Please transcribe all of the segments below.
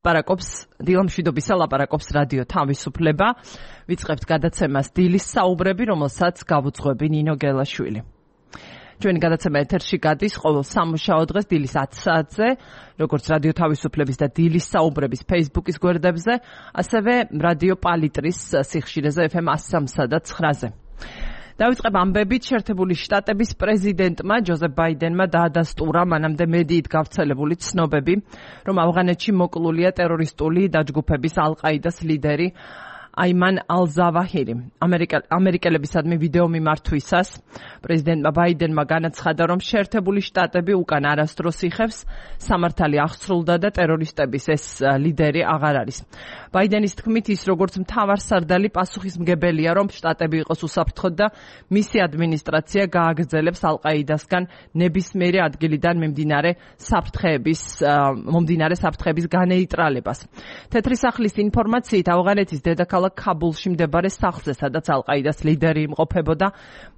მშვიდობისა ლაპარაკობს რადიო თავისუფლება. ვიწყებთ გადაცემას დილის საუბრები, რომელსაც გავუძღვები ნინო გელაშვილი. ჩვენი გადაცემა ეთერში გადის ყოველ სამუშაო დღეს დილის 10 საათზე, როგორც რადიო თავისუფლების და დილის საუბრების Facebook-ის გვერდებზე, ასევე რადიო პალიტრის სიხშირეზე FM 103 და 9-ზე. დავიწყებ ამბებით, შეერთებული შტატების პრეზიდენტმა ჯოზეფ ბაიდენმა დაადასტურა მანამდე მედიით გავრცელებული ცნობები, რომ ავღანეთში მოკლულია ტერორისტული დაჯგუფების ალ-ყაიდას ლიდერი აიმან ალ-ზავაჰირი. ამერიკელებისადმი ვიდეო მიმართვისას პრეზიდენტმა ბაიდენმა განაცხადა, რომ შეერთებული შტატები უკან არასდროს იხევს, სამართალი აღსრულდა და ტერორისტების ეს ლიდერი აღარ არის. ბაიდენის თქმით, ის როგორც მთავარსარდალი პასუხისმგებელია, რომ შტატები იყოს უსაფრთხოდ და მისი ადმინისტრაცია გააგრძელებს ალ-ყაიდასგან ნებისმიერი ადგილიდან მომდინარე საფრთხეების განეიტრალებას. თეთრი სახლის ინფორმაციით, ავღანეთის დედაქალაქ ქაბულში მდებარე სახლზე, სადაც ალ-ყაიდას ლიდერი იმყოფებოდა,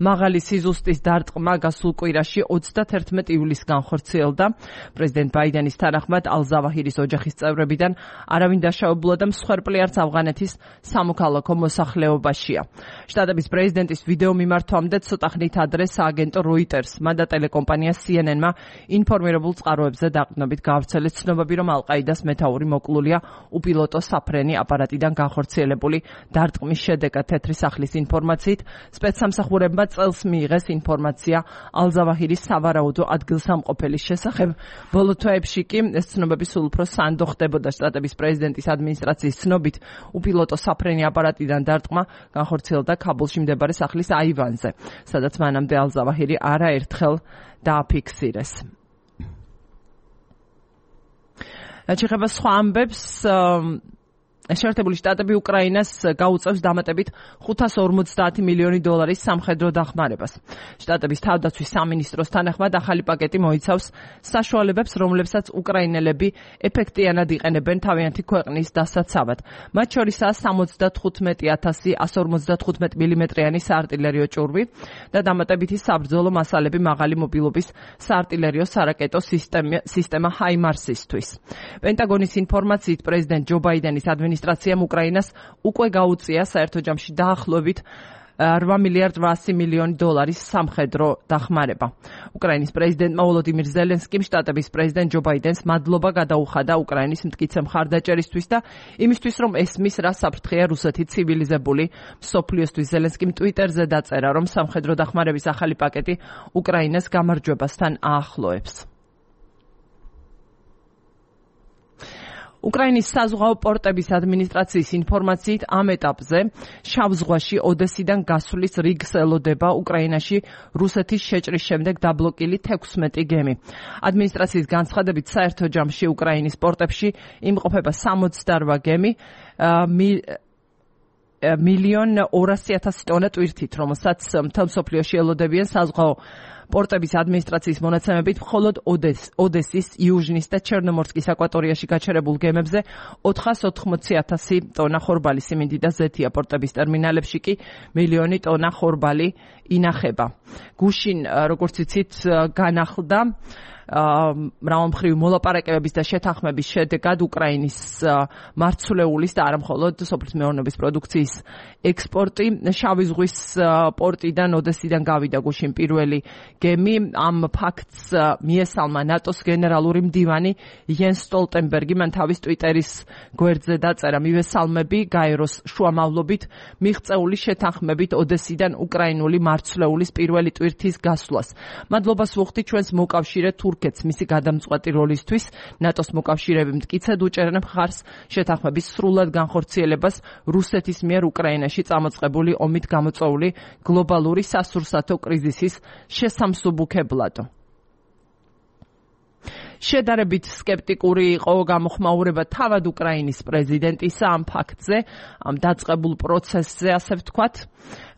მაღალი სიზუსტის დარტყმა გასულ კვირაში 31 ივლისს განხორციელდა. პრეზიდენტ ბაიდენის თანახმად ალ-ზავაჰირის ოჯახის წევრებიდან არავინ დაშავებულა და მსხვერპლი არც ავღანეთის სამოქალაქო მოსახლეობაშია. შტატების პრეზიდენტის ვიდეო მიმართვამდე ცოტა ხნით ადრე სააგენტო Reuters-მა და ტელეკომპანია CNN-მა ინფორმირებულ წყაროებზე დაყრდნობით გავრცელეს ცნობები, რომ ალ-ყაიდას მეთაური მოკლულია უპილოტო საფრენი აპარატიდან განხორციელებული დარტყმის შედეგად. თეთრი სახლის ინფორმაციით, სპეცსამსახურებმა წელს მიიღეს ინფორმაცია ალ-ზავაჰირის სავარაუდო ადგილსამყოფელის შესახებ. ბოლო თვეებში კი ეს ცნობები სულ უფრო სანდო ხდებოდა. შტატების პრეზიდენტის ადმინისტრაციის ცნობით, უპილოტო საფრენი აპარატიდან დარტყმა განხორციელდა ქაბულში მდებარე სახლის აივანზე, სადაც მანამდე ალ-ზავაჰირი არაერთხელ დააფიქსირეს. რაც ეხება სხვა ამბებს, შეერთებული შტატები უკრაინას გაუწევს დამატებით $550 მილიონი სამხედრო დახმარებას. შტატების თავდაცვის სამინისტროს თანახმად ახალი პაკეტი მოიცავს საშუალებებს, რომლებსაც უკრაინელები ეფექტიანად იყენებენ თავიანთი ქვეყნის დასაცავად. მათ შორისაა 75,150 155 მმ-იანი საარტილერიო ჭურვი და დამატებითი საბრძოლო მასალები მაღალი მობილობის საარტილერიო სარაკეტო სისტემა ჰაიმარსისთვის. პენტაგონის ინფორმაციით, პრეზიდენტ ჯო ბაიდენის ადმინისტრაციამ უკრაინას უკვე გაუწია საერთო ჯამში დაახლოებით $8,8 მილიონი სამხედრო დახმარება. უკრაინის პრეზიდენტმა ვოლოდიმირ ზელენსკიმ შტატების პრეზიდენტ ჯო ბაიდენს მადლობა გადაუხადა უკრაინის მტკიცე მხარდაჭერისთვის და იმისთვის, რომ ესმის რა საფრთხეა რუსეთი ცივილიზებული მსოფლიოსთვის. ზელენსკიმ ტვიტერზე დაწერა, რომ სამხედრო დახმარების ახალი პაკეტი უკრაინას გამარჯვებასთან აახლოებს. უკრაინის საზღვაო პორტების ადმინისტრაციის ინფორმაციით, ამ ეტაპზე შავ ზღვაში ოდესიდან გასვლის რიგს ელოდება უკრაინაში რუსეთის შეჭრის შემდეგ დაბლოკილი 16 გემი. ადმინისტრაციის განცხადებით, საერთო ჯამში უკრაინის პორტებში იმყოფება 68 გემი, 1,200,000 ტონა ტვირთით, რომელსაც მთელ მსოფლიოში ელოდებიან საზღვაო პორტების ადმინისტრაციის მონაცემებით, მხოლოდ ოდესის, იუჟნის და ჩერნომორსკის აკვატორიაში გაჩერებულ გემებზე 480,000 ტონა ხორბალი, სიმინდი და ზეთია. პორტების ტერმინალებში კი 1,000,000 ტონა ხორბალი ინახება. გუშინ, როგორც იცით, განახლდა მრავალმხრივი მოლაპარაკებების და შეთანხმების შედეგად უკრაინის მარცვლეულის და არა მხოლოდ სოფლის მეურნეობის პროდუქციის ექსპორტი. შავი ზღვის პორტიდან ოდესიდან გავიდა გუშინ პირველი გემი. ამ ფაქტს მიესალმა ნატოს გენერალური მდივანი იენს სტოლტენბერგი. მან თავის ტვიტერის გვერდზე დაწერა: მივესალმები გაეროს შუამავლობით მიღწეული შეთანხმებით ოდესიდან უკრაინული მარცვლეულის პირველი ტვირთის გასვლას. მადლობას ვუხდი ჩვენს მოკავშირე თურქეთს მისი გადამწყვეტი როლისთვის. ნატოს მოკავშირეები მტკიცედ უჭერენ მხარს შეთანხმების სრულად განხორციელებას რუსეთის მიერ უკრაინაში წამოწყებული ომით გამოწვეული გლობალური სასურსათო კრიზისის შესამსუბუქებლად. შედარებით სკეპტიკური იყო გამოხმაურება თავად უკრაინის პრეზიდენტისა ამ ფაქტზე, ამ დაწყებულ პროცესზე, ასე ვთქვათ.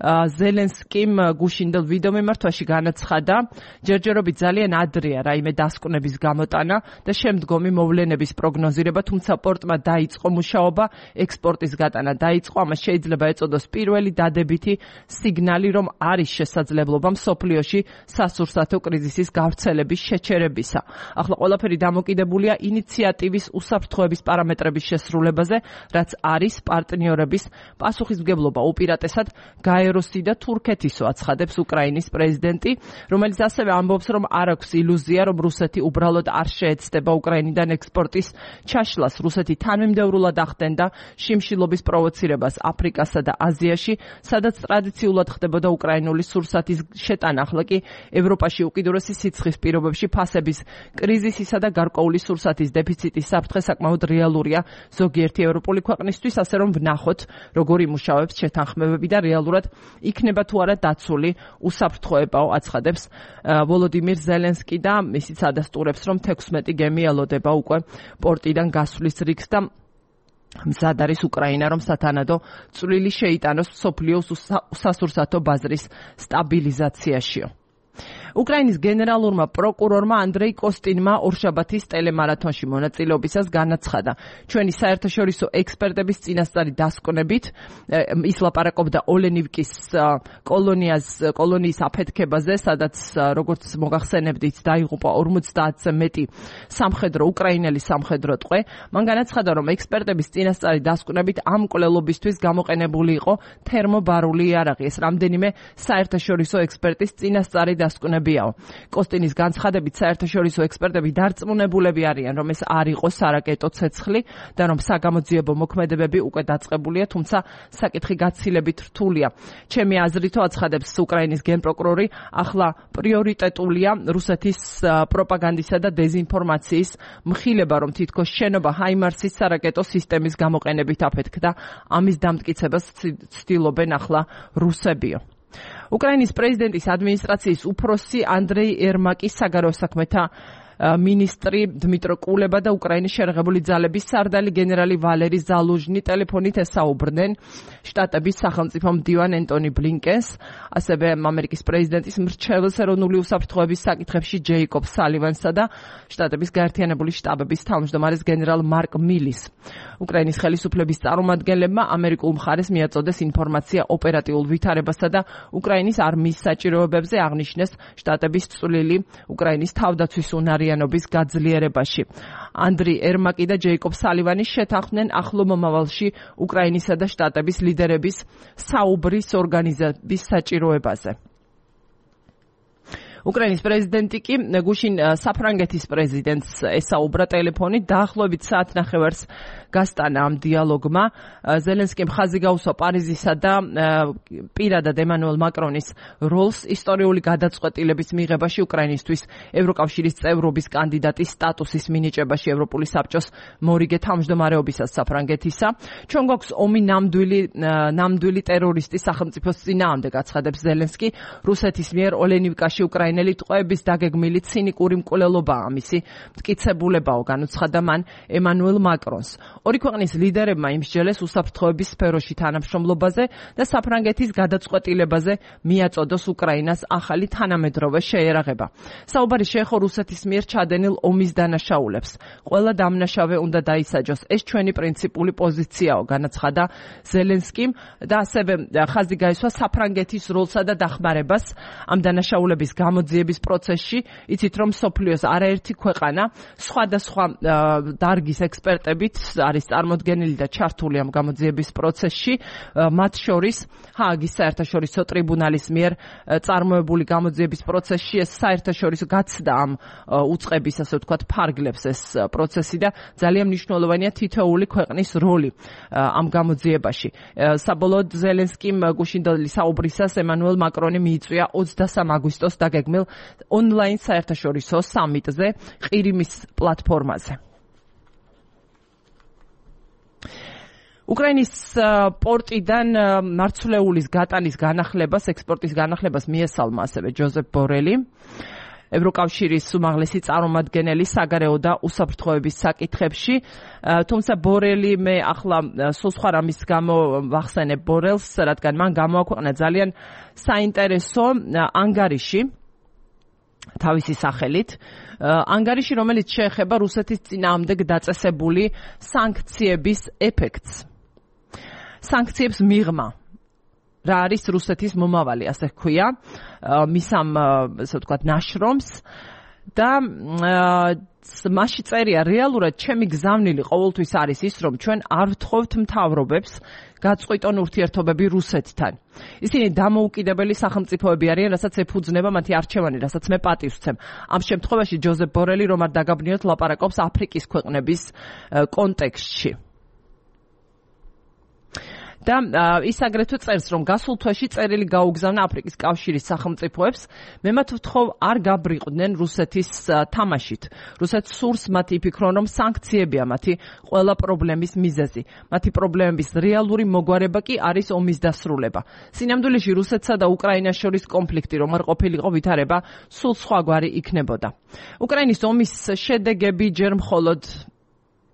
ზელენსკიმ გუშინდელ ვიდეო მიმართვაში განაცხადა, ჯერჯერობით ძალიან ადრეა რაიმე დასკვნების გამოტანა და შემდგომი მოვლენების პროგნოზირება, თუმცა პორტმა დაიწყო მუშაობა, ექსპორტის გატანა დაიწყო, ამას შეიძლება ეწოდოს პირველი დადებითი სიგნალი, რომ არის შესაძლებლობა მსოფლიოში სასურსათო კრიზისის გავრცელების შეჩერებისა. ახლა ყველაფერი დამოკიდებულია ინიციატივის უსაფრთხოების პარამეტრების შესრულებაზე, რაც არის პარტნიორების პასუხისმგებლობა უპირატესად გაეროსი და თურქეთისო, აცხადებს უკრაინის პრეზიდენტი, რომელიც ასევე ამბობს, რომ არ აქვს ილუზია, რომ რუსეთი უბრალოდ არ შეეცდება უკრაინიდან ექსპორტის ჩაშლას. რუსეთი თანმიმდევრულად ახდენდა შიმშილობის პროვოცირებას აფრიკასა და აზიაში, სადაც ტრადიციულად ხდებოდა უკრაინული სურსათის შეტანა. ახლა კი ევროპაში უკიდურესი სიცხის პირობებში ფასების კრიზისისა და გარკვეული სურსათის დეფიციტის საფრთხე საკმაოდ რეალურია ზოგიერთი ევროპული ქვეყნისთვის, ასე რომ ვნახოთ, როგორ იმუშავებს შეთანხმებები და რეალურად იქნება თუ არა დაცული უსაფრთხოებაო, აცხადებს ვოლოდიმირ ზელენსკი და ისიც ადასტურებს, რომ 16 გემი ელოდება უკვე პორტიდან გასვლის რიგს და მზად არის უკრაინა, რომ სათანადო წვლილი შეიტანოს მსოფლიოს სასურსათო ბაზრის სტაბილიზაციაშიო. უკრაინის გენერალურმა პროკურორმა ანდრეი კოსტინმა ორშაბათის ტელემარათონში მონაწილეობისას განაცხადა, ჩვენი საერთაშორისო ექსპერტების წინასწარი დასკვნებით, ის ლაპარაკობდა ოლენივკის კოლონიის აფეთქებაზე, სადაც როგორც მოგახსენებდით, დაიღუპა 50-ზე მეტი სამხედრო უკრაინელი სამხედრო ტყვე. მან განაცხადა, რომ ექსპერტების წინასწარი დასკვნებით ამ მკვლელობისთვის გამოყენებული იყო თერმობარული იარაღი. ეს რამდენიმე საერთაშორისო ექსპერტის წინასწარი დასკვნები. კოსტინის განცხადებით, საერთაშორისო ექსპერტები დარწმუნებულები არიან, რომ ეს არ იყო სარაკეტო ცეცხლი და რომ საგამოძიებო მოქმედებები უკვე დაწყებულია, თუმცა საკითხი გაცილებით რთულია. ჩემი აზრითო, აცხადებს უკრაინის გენპროკურორი, ახლა პრიორიტეტულია რუსეთის პროპაგანდისა და დეზინფორმაციის მხილება, რომ თითქოს შენობა ჰაიმარსის სარაკეტო სისტემის გამოყენებით აფეთქდა. ამის დამტკიცებას ცდილობენ ახლა რუსებიო. უკრაინის პრეზიდენტის ადმინისტრაციის უფროსი ანდრეი ერმაკი, საგარეო საქმეთა მინისტრი დმიტრო კულება და უკრაინის შერღებული ძალების სარდალი გენერალი ვალერი ზალუჟნი ტელეფონით ესაუბრდნენ შტატების სახელმწიფო მდივან ენტონი ბლინკენს, ასევე ამერიკის პრეზიდენტის მრჩეველს ეროვნული უსაფრთხოების საკითხებში ჯეიკობ სალივანსა და შტატების გაერთიანებული შტაბების თავმჯდომარეს გენერალ მარკ მილის. უკრაინის ხელისუფლების წარმომადგენლებმა ამერიკულ მხარეს მიაწოდეს ინფორმაცია ოპერატიულ ვითარებასა და უკრაინის არმიის საჭიროებებზე, აღნიშნეს შტატების წვლილი უკრაინის თავდაცვის უნარიანობის გაძლიერებაში. ანდრი ერმაკი და ჯეიკობ სალივანი შეთანხმდნენ ახლო მომავალში უკრაინისა და შტატების ლიდერების საუბრის ორგანიზების საჭიროებაზე. უკრაინის პრეზიდენტი კი გუშინ საფრანგეთის პრეზიდენტს ესაუბრა ტელეფონით, დაახლოებით საათნახევარს გასტანა ამ დიალოგმა. ზელენსკიმ ხაზი გაუსვა პარიზისა და პირადად ემანუელ მაკრონის როლს ისტორიული გადაწყვეტილების მიღებაში უკრაინისთვის ევროკავშირის წევრობის კანდიდატის სტატუსის მინიჭებაში ევროპული საბჭოს მორიგე თავმჯდომარეობისას საფრანგეთისა. ჩვენ გვაქვს ომი ნამდვილი ტერორისტის სახელმწიფოს წინააღმდეგ, აცხადებს ზელენსკი. რუსეთის მიერ ოლენივკაში უკრაინელი ტყვეების დაგეგმილი ცინიკური მკვლელობაა ამისი მტკიცებულებაო, განუცხადა მან ემანუელ მაკრონს. ორი ქვეყნის ლიდერებმა იმსჯელეს უსაფრთხოების სფეროში თანამშრომლობაზე და საფრანგეთის გადაწყვეტილებაზე მიაწოდოს უკრაინას ახალი თანამედროვე შეერაღება. საუბარი შეეხო რუსეთის მიერ ჩადენილ ომის დანაშაულებს. ყველა დამნაშავე უნდა დაისაჯოს. ეს ჩვენი პრინციპული პოზიციაო, განაცხადა ზელენსკიმ და ასევე ხაზი გაისვა საფრანგეთის როლსა და დახმარებას ამ დანაშაულების გამოძიების პროცესში. იცით, რომ მსოფლიოს არაერთი ქვეყანა სხვადასხვა დარგის ექსპერტებით არის წარმოდგენილი და ჩართული ამ გამოძიების პროცესში, მათ შორის ჰააგის საერთაშორისო ტრიბუნალის მიერ წარმოებული გამოძიების პროცესში. ეს საერთაშორისო გაცდა ამ უწყების, ასე ვთქვათ, ფარგლებს ეს პროცესი და ძალიან მნიშვნელოვანია თითოეული ქვეყნის როლი ამ გამოძიებაში. საბოლოოდ ზელენსკიმ გუშინდელი საუბრისას ემანუელ მაკრონი მიიწვია 23 აგვისტოს დაგეგმილ ონლაინ საერთაშორისო სამიტზე ყირიმის პლატფორმაზე. უკრაინის პორტიდან მარცვლეულის გატანის განახლებას, ექსპორტის განახლებას მიესალმა ასევე ჯოზეფ ბორელი, ევროკავშირის უმაღლესი წარმომადგენელი საგარეო და უსაფრთხოების საკითხებში. თუმცა ბორელი მე ახლა სულ სხვა რამის გამო ვახსენებ ბორელს, რადგან მან გამოაქვეყნა ძალიან საინტერესო ანგარიში თავისი სახელით. ანგარიში, რომელიც შეეხება რუსეთის წინააღმდეგ დაწესებული სანქციების ეფექტს. სანქციებს მიღმა. რა არის რუსეთის მომავალი, ასე ჰქვია, მის ამ, ასე ვთქვათ, ნაშრომს და მასში წერია რეალურად ჩემი გზავნილი ყოველთვის არის ის, რომ ჩვენ არ ვთხოვთ მთავრობებს გაწყვიტონ ურთიერთობები რუსეთთან. ისინი დამოუკიდებელი სახელმწიფოები არიან, რასაც ეფუძნება მათი არჩევანი, რასაც მე პატივს ვცემ. ამ შემთხვევაში ჯოზეფ ბორელი რომ არ დაგაბნიოთ ლაპარაკობს აფრიკის ქვეყნების კონტექსტში. და ის აგრეთვე წერს, რომ გასულ თვეში წერილი გაუგზავნა აფრიკის კავშირის სახელმწიფოებს, მე მათ ვთხოვ არ გაბრიყვდნენ რუსეთის თამაშით. რუსეთს სურს მათი იფიქრონ, რომ სანქციებია მათი ყველა პრობლემის მიზეზი. მათი პრობლემების რეალური მოგვარება კი არის ომის დასრულება. სინამდვილეში რუსეთსა და უკრაინას შორის კონფლიქტი რომ არ ყოფილიყო ვითარება, სულ სხვაგვარი იქნებოდა. უკრაინის ომის შედეგები ჯერ მხოლოდ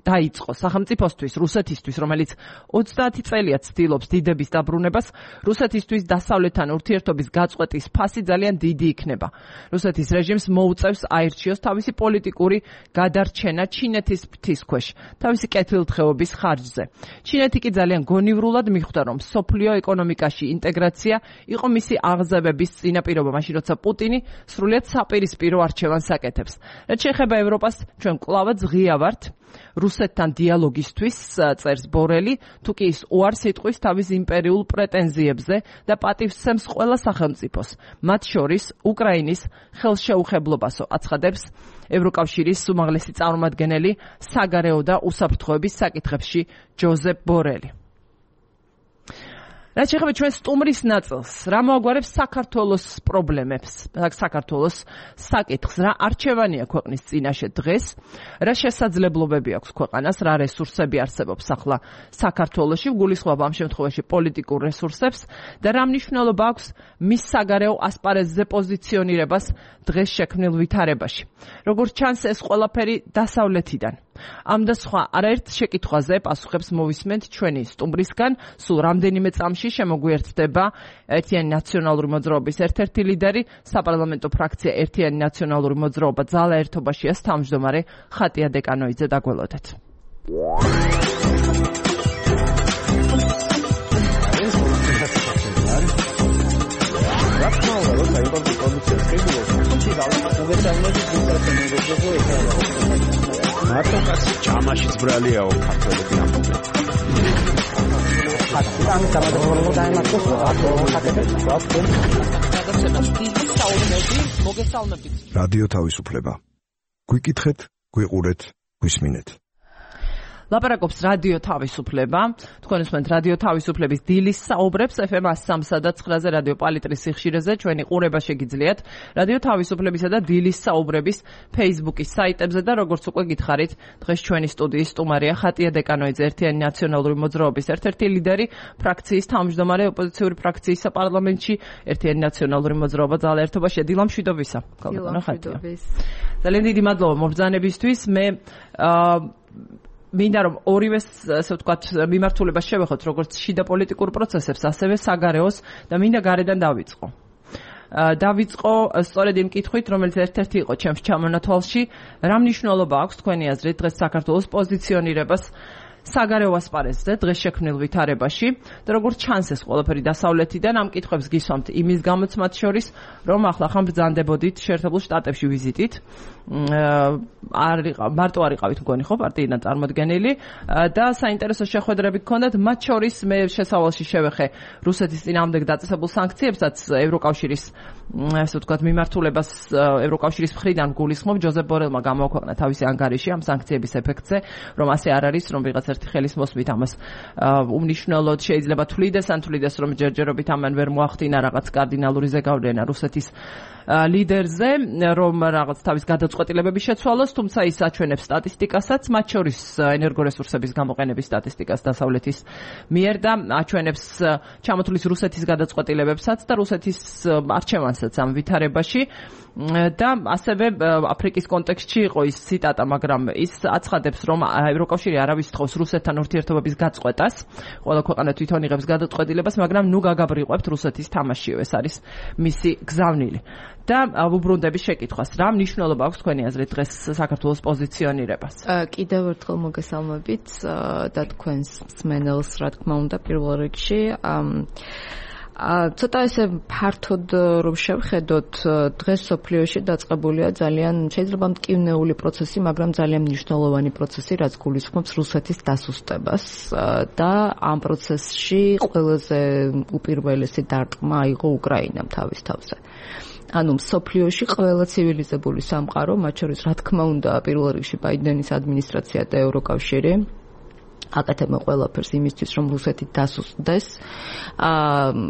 დაიწყო სახელმწიფოსთვის, რუსეთისთვის, რომელიც 30 წელია ცდილობს დიდების დაბრუნებას, რუსეთისთვის დასავლეთთან ურთიერთობის გაწყვეტის ფასი ძალიან დიდი იქნება. რუსეთის რეჟიმს მოუწევს აირჩიოს თავისი პოლიტიკური გადარჩენა ჩინეთის ფრთისქვეშ, თავისი კეთილდღეობის ხარჯზე. ჩინეთი კი ძალიან გონივრულად მიხვდა, რომ სოფლიო ეკონომიკაში ინტეგრაცია იყო მისი აღზევების წინაპირობა, მაშინ როცა პუტინი სრულიად საპირისპირო არჩევანს აკეთებს. რაც შეეხება ევროპას, ჩვენ კვლავაც ღია ვართ რუსეთთან დიალოგისთვის, წერს ბორელი, თუ კი ის უარს იტყვის თავის იმპერიულ პრეტენზიებზე და პატივს სცემს ყველა სახელმწიფოს, მათ შორის უკრაინის ხელშეუხებლობასო, აცხადებს ევროკავშირის უმაღლესი წარმომადგენელი საგარეო და უსაფრთხოების საკითხებში ჯოზეფ ბორელი. რაც შეეხება ჩვენ სტუმრის ნაწილს, რა მოაგვარებს საქართველოს პრობლემებს, საქართველოს საკითხს, რა არჩევანია ქვეყნის წინაშე დღეს, რა შესაძლებლობები აქვს ქვეყანას, რა რესურსები არსებობს ახლა საქართველოში, ვგულისხმობ ამ შემთხვევაში პოლიტიკურ რესურსებს და რა მნიშვნელობა აქვს მის საგარეო ასპარეზზე პოზიციონირებას დღეს შექმნილ ვითარებაში. როგორც ჩანს, ეს ყველაფერი დასავლეთიდან. ამ და სხვა არაერთ შეკითხვაზე პასუხებს მოვისმენთ ჩვენი სტუმრისგან. სულ რამდენიმე წამში შემოგვიერთდება ერთიანი ნაციონალური მოძრაობის ერთ-ერთი ლიდერი, საპარლამენტო ფრაქცია ერთიანი ნაციონალური მოძრაობა ძალა ერთობაშიას თავმჯდომარე ხატია დეკანოიძე. დაგველოდეთ. მარტო კაცი ჯამაშიც ბრალიაო ქართველები ამბობენ. რადიო თავისუფლება. გვიკითხეთ, გვიყურეთ, გვისმინეთ. ლაპარაკობს რადიო თავისუფლება. თქვენ უსმენთ რადიო თავისუფლების დილის საუბრებს FM 103.9-ზე რადიო პალიტრის სიხშირეზე. ჩვენი ყურება შეგიძლიათ რადიო თავისუფლებისა და დილის საუბრების Facebook-ის საიტებზე და როგორც უკვე გითხარით, დღეს ჩვენი სტუდიის სტუმარია ხატია დეკანოიძე, ერთიანი ნაციონალური მოძრაობის ერთ-ერთი ლიდერი, ფრაქციის თავმჯდომარე ოპოზიციური ფრაქციის საპარლამენტში, ერთიანი ნაციონალური მოძრაობა ძალა ერთობაშია. დილამშვიდობისა. ძალიან დიდი მადლობა მობრძანებისთვის. მე მინდა რომ ორივე ასე ვთქვათ მიმართულებას შევეხოთ, როგორც შიდა პოლიტიკურ პროცესებს, ასევე საგარეოს და მინდა გარედან დავიწყო. დავიწყო სწორედ იმ კითხვით, რომელიც ერთ-ერთი იყო ჩემს ჩამონათვალში, რა მნიშვნელობა აქვს თქვენი აზრით დღეს საქართველოს პოზიციონირებას საგარეო ასპარეზზე დღეს შექმნილ ვითარებაში და როგორც ჩანს ეს ყველაფერი დასავლეთიდან, ამ კითხვებს გისვამთ იმის გამოც მათ შორის, რომ ახლა ბრძანდებოდით შეერთებულ შტატებში ვიზიტით. მარტო არ იყავით მგონი ხო პარტიიდან წარმოდგენილი და საინტერესო შეხვედრები გქონდათ, მათ შორის მე შესავალში შევეხე რუსეთის წინააღმდეგ დაწესებულ სანქციებსაც ევროკავშირის ასე ვთქვათ მიმართულებას ევროკავშირის მხრიდან გულისხმობ. ჯოზეფ ბორელმა გამოაქვეყნა თავისი ანგარიში ამ სანქციების ეფექტზე, რომ ასე არ არის, რომ ვიღაც ერთი ხელის მოსმით ამას უმნიშვნელოდ შეიძლება თვლიდეს, ან თვლიდეს, რომ ჯერჯერობით ამან ვერ მოახდინა რაღაც კარდინალური ზეგავლენა რუსეთის ლიდერზე, რომ რაღაც თავის გადაწყვეტილებები შეცვალოს, თუმცა ის აჩვენებს სტატისტიკასაც, მათ შორის ენერგორესურსების გამოყენების სტატისტიკას დასავლეთის მიერ და აჩვენებს ჩამოთვლის რუსეთის გადაწყვეტილებებსაც და რუსეთის არჩევანსაც ამ ვითარებაში. და ასევე აფრიკის კონტექსტში იყო ის ციტატა, მაგრამ ის აცხადებს, რომ ევროკავშირი არავის თხოვს რუსეთთან ურთიერთობების გაწყვეტას, ყველა ქვეყანა თვითონ იღებს გადაწყვეტილებას, მაგრამ ნუ გაგაბრიყვებთ რუსეთის თამაშიო, ეს არის მისი გზავნილი. და ვუბრუნდები შეკითხვას, რა მნიშვნელობა აქვს თქვენი აზრით დღეს საქართველოს პოზიციონირებას? კიდევ ერთხელ მოგესალმებით და თქვენს მსმენელს, რა თქმა უნდა, პირველ რიგში. ცოტა ესე ფართოდ რომ შევხედოთ, დღეს სოფლიოში დაწყებულია ძალიან შეიძლება მტკივნეული პროცესი, მაგრამ ძალიან მნიშვნელოვანი პროცესი, რაც გულისხმობს რუსეთის დასუსტებას და ამ პროცესში ყველაზე უპირველესი დარტყმა აიღო უკრაინამ თავის თავზე. ანუ სოფლიოში ყველა ცივილიზებული სამყარო, მათ შორის რა თქმა უნდა, პირველ რიგში ბაიდენის ადმინისტრაცია და ევროკავშირი აკეთებენ ყველაფერს იმისთვის, რომ რუსეთი დასუსტდეს.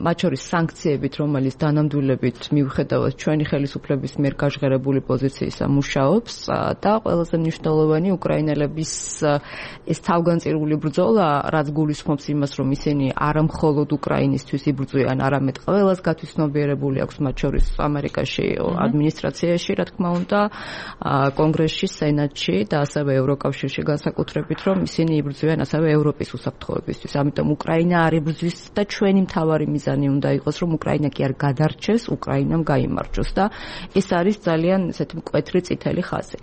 მათ შორის სანქციებით, რომელიც დანამდვილებით მიუხედავად ჩვენი ხელისუფლების მიერ გაჟღერებული პოზიციისა მუშაობს და ყველაზე მნიშვნელოვანი უკრაინელების ეს თავგანწირული ბრძოლა, რაც გულისხმობს იმას, რომ ისინი არა მხოლოდ უკრაინისთვის იბრძვიან, არამედ ყველას გათვითცნობიერებული აქვს, მათ შორის ამერიკაში ადმინისტრაციაში, რა თქმა უნდა, კონგრესში, სენატში და ასევე ევროკავშირში განსაკუთრებით, რომ ისინი იბრძვიან ასევე ევროპის უსაფრთხოებისთვის. ამიტომ უკრაინა არ იბრძვის და ჩვენი მთავარი მიზანი უნდა იყოს, რომ უკრაინა კი არ გადარჩეს, უკრაინამ გაიმარჯვოს და ეს არის ძალიან ესეთი მკვეთრი წითელი ხაზი.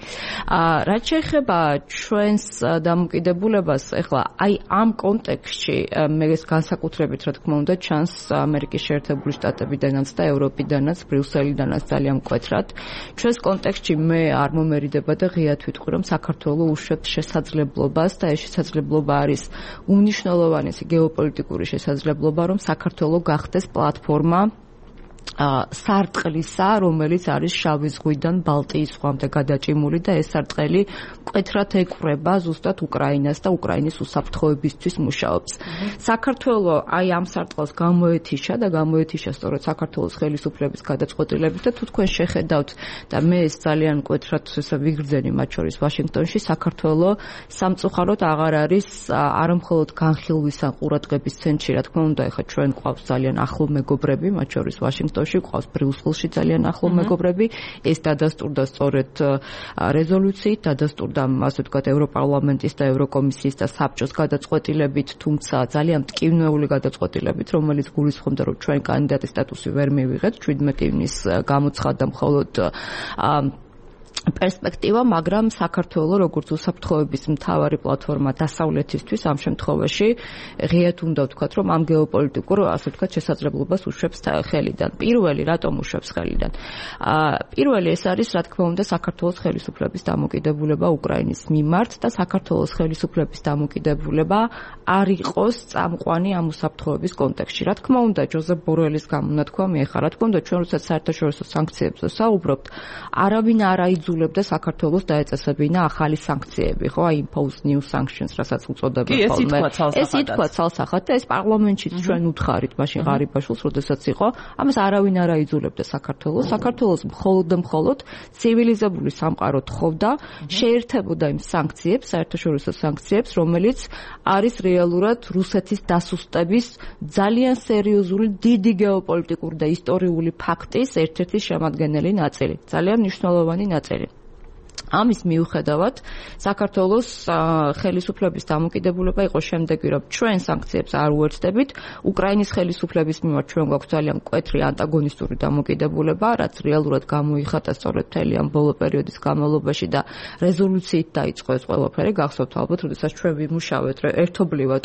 რაც შეეხება ჩვენს დამოკიდებულებას, ეხლა აი ამ კონტექსტში მე ეს განსაკუთრებით რა თქმა უნდა ჩანს ამერიკის შეერთებული შტატებიდანაც და ევროპიდანაც, ბრიუსელიდანაც ძალიან მკვეთრად. ჩვენს კონტექსტში მე არ მომერიდება და ღიად ვიტყვი, რომ საქართველოს უშვებს შესაძლებლობას და ეს შესაძლებლობა არის უნიშნულოვანესი გეოპოლიტიკური შესაძლებლობა, რომ საქართველოს გახდეს პლატფორმა სარტყლისა, რომელიც არის შავი ზღვიდან ბალტიის ზღვამდე გადაჭიმული და ეს სარტყელი მკვეთრად ეკვრება ზუსტად უკრაინას და უკრაინის უსაფრთხოებისთვის მუშაობს. საქართველოს აი ამ სარტყელს გამოეთიშა სწორედ საქართველოს ხელისუფლების გადაწყვეტილებით და თუ თქვენ შეხედავთ და მე ეს ძალიან მკვეთრად ვიგრძენი მათ შორის ვაშინგტონში, საქართველოს სამწუხაროდ აღარ არის არა მხოლოდ განხილვისა ყურადღების ცენტრში, რა თქმა უნდა, ეხლა ჩვენ გვყავს ძალიან ახლო მეგობრები, მათ შორის ვაშინგტონში ყავს ბრიუსელში ძალიან ახლო მეგობრები, ეს დადასტურდა სწორედ რეზოლუციით, დადასტურდა ასე ვთქვათ ევროპარლამენტის და ევროკომისიის და საბჭოს გადაწყვეტილებით, თუმცა ძალიან მტკივნეული გადაწყვეტილებით, რომელიც გულისხმობდა, რომ ჩვენ კანდიდატის სტატუსი ვერ მივიღეთ, 17 ივნის გამოცხადდა მხოლოდ პერსპექტივა, მაგრამ საქართველოს როგორც უსაფრთხოების მთავარი პლატფორმა დასავლეთისთვის ამ შემთხვევაში ღიად უნდა ვთქვათ, რომ ამ გეოპოლიტიკურ ასე ვთქვათ შესაძლებლობას უშვებს ხელიდან. პირველი, რატომ უშვებს ხელიდან? პირველი ეს არის, რა თქმა უნდა, საქართველოს ხელისუფლების დამოკიდებულება უკრაინის მიმართ და საქართველოს ხელისუფლების დამოკიდებულება არ იყოს წამყვანი ამ უსაფრთხოების კონტექსტში. რა თქმა უნდა, ჯოზეფ ბორელის გამონათქვამი ეხლა, რა თქმა უნდა, ჩვენ როცა საერთაშორისო სანქციებზე საუბრობთ, არავინ არ აიძულებდა საქართველოს დაეწესებინა ახალი სანქციები, ხო? აი impose new sanctions, რასაც უწოდებენ ხოლმე. ეს ითქვა ცალსახად და ეს პარლამენტშიც ჩვენ უთხარით, მაშინ ღარიბაშვილს, როდესაც იყო, ამას არავინ არ აიძულებდა საქართველოს. საქართველოს მხოლოდ ცივილიზებული სამყარო თხოვდა, შეერთებოდა იმ სანქციებს, საერთაშორისო სანქციებს, რომელიც არის რეალურად რუსეთის დასუსტების ძალიან სერიოზული, დიდი გეოპოლიტიკური და ისტორიული ფაქტის ერთ-ერთი შემადგენელი ნაწილი, ძალიან მნიშვნელოვანი ნაწილი. ამის მიუხედავად, საქართველოს ხელისუფლების დამოკიდებულება იყო შემდეგი, რომ ჩვენ სანქციებს არ უერთდებით, უკრაინის ხელისუფლების მიმართ ჩვენ გვაქვს ძალიან მკვეთრი ანტაგონისტური დამოკიდებულება, რაც რეალურად გამოიხატა სწორედ მთელი ამ ბოლო პერიოდის განმავლობაში და რეზოლუციით დაიწყო ეს ყველაფერი, გახსოვთ ალბათ, როდესაც ჩვენ ვიმუშავეთ ერთობლივად.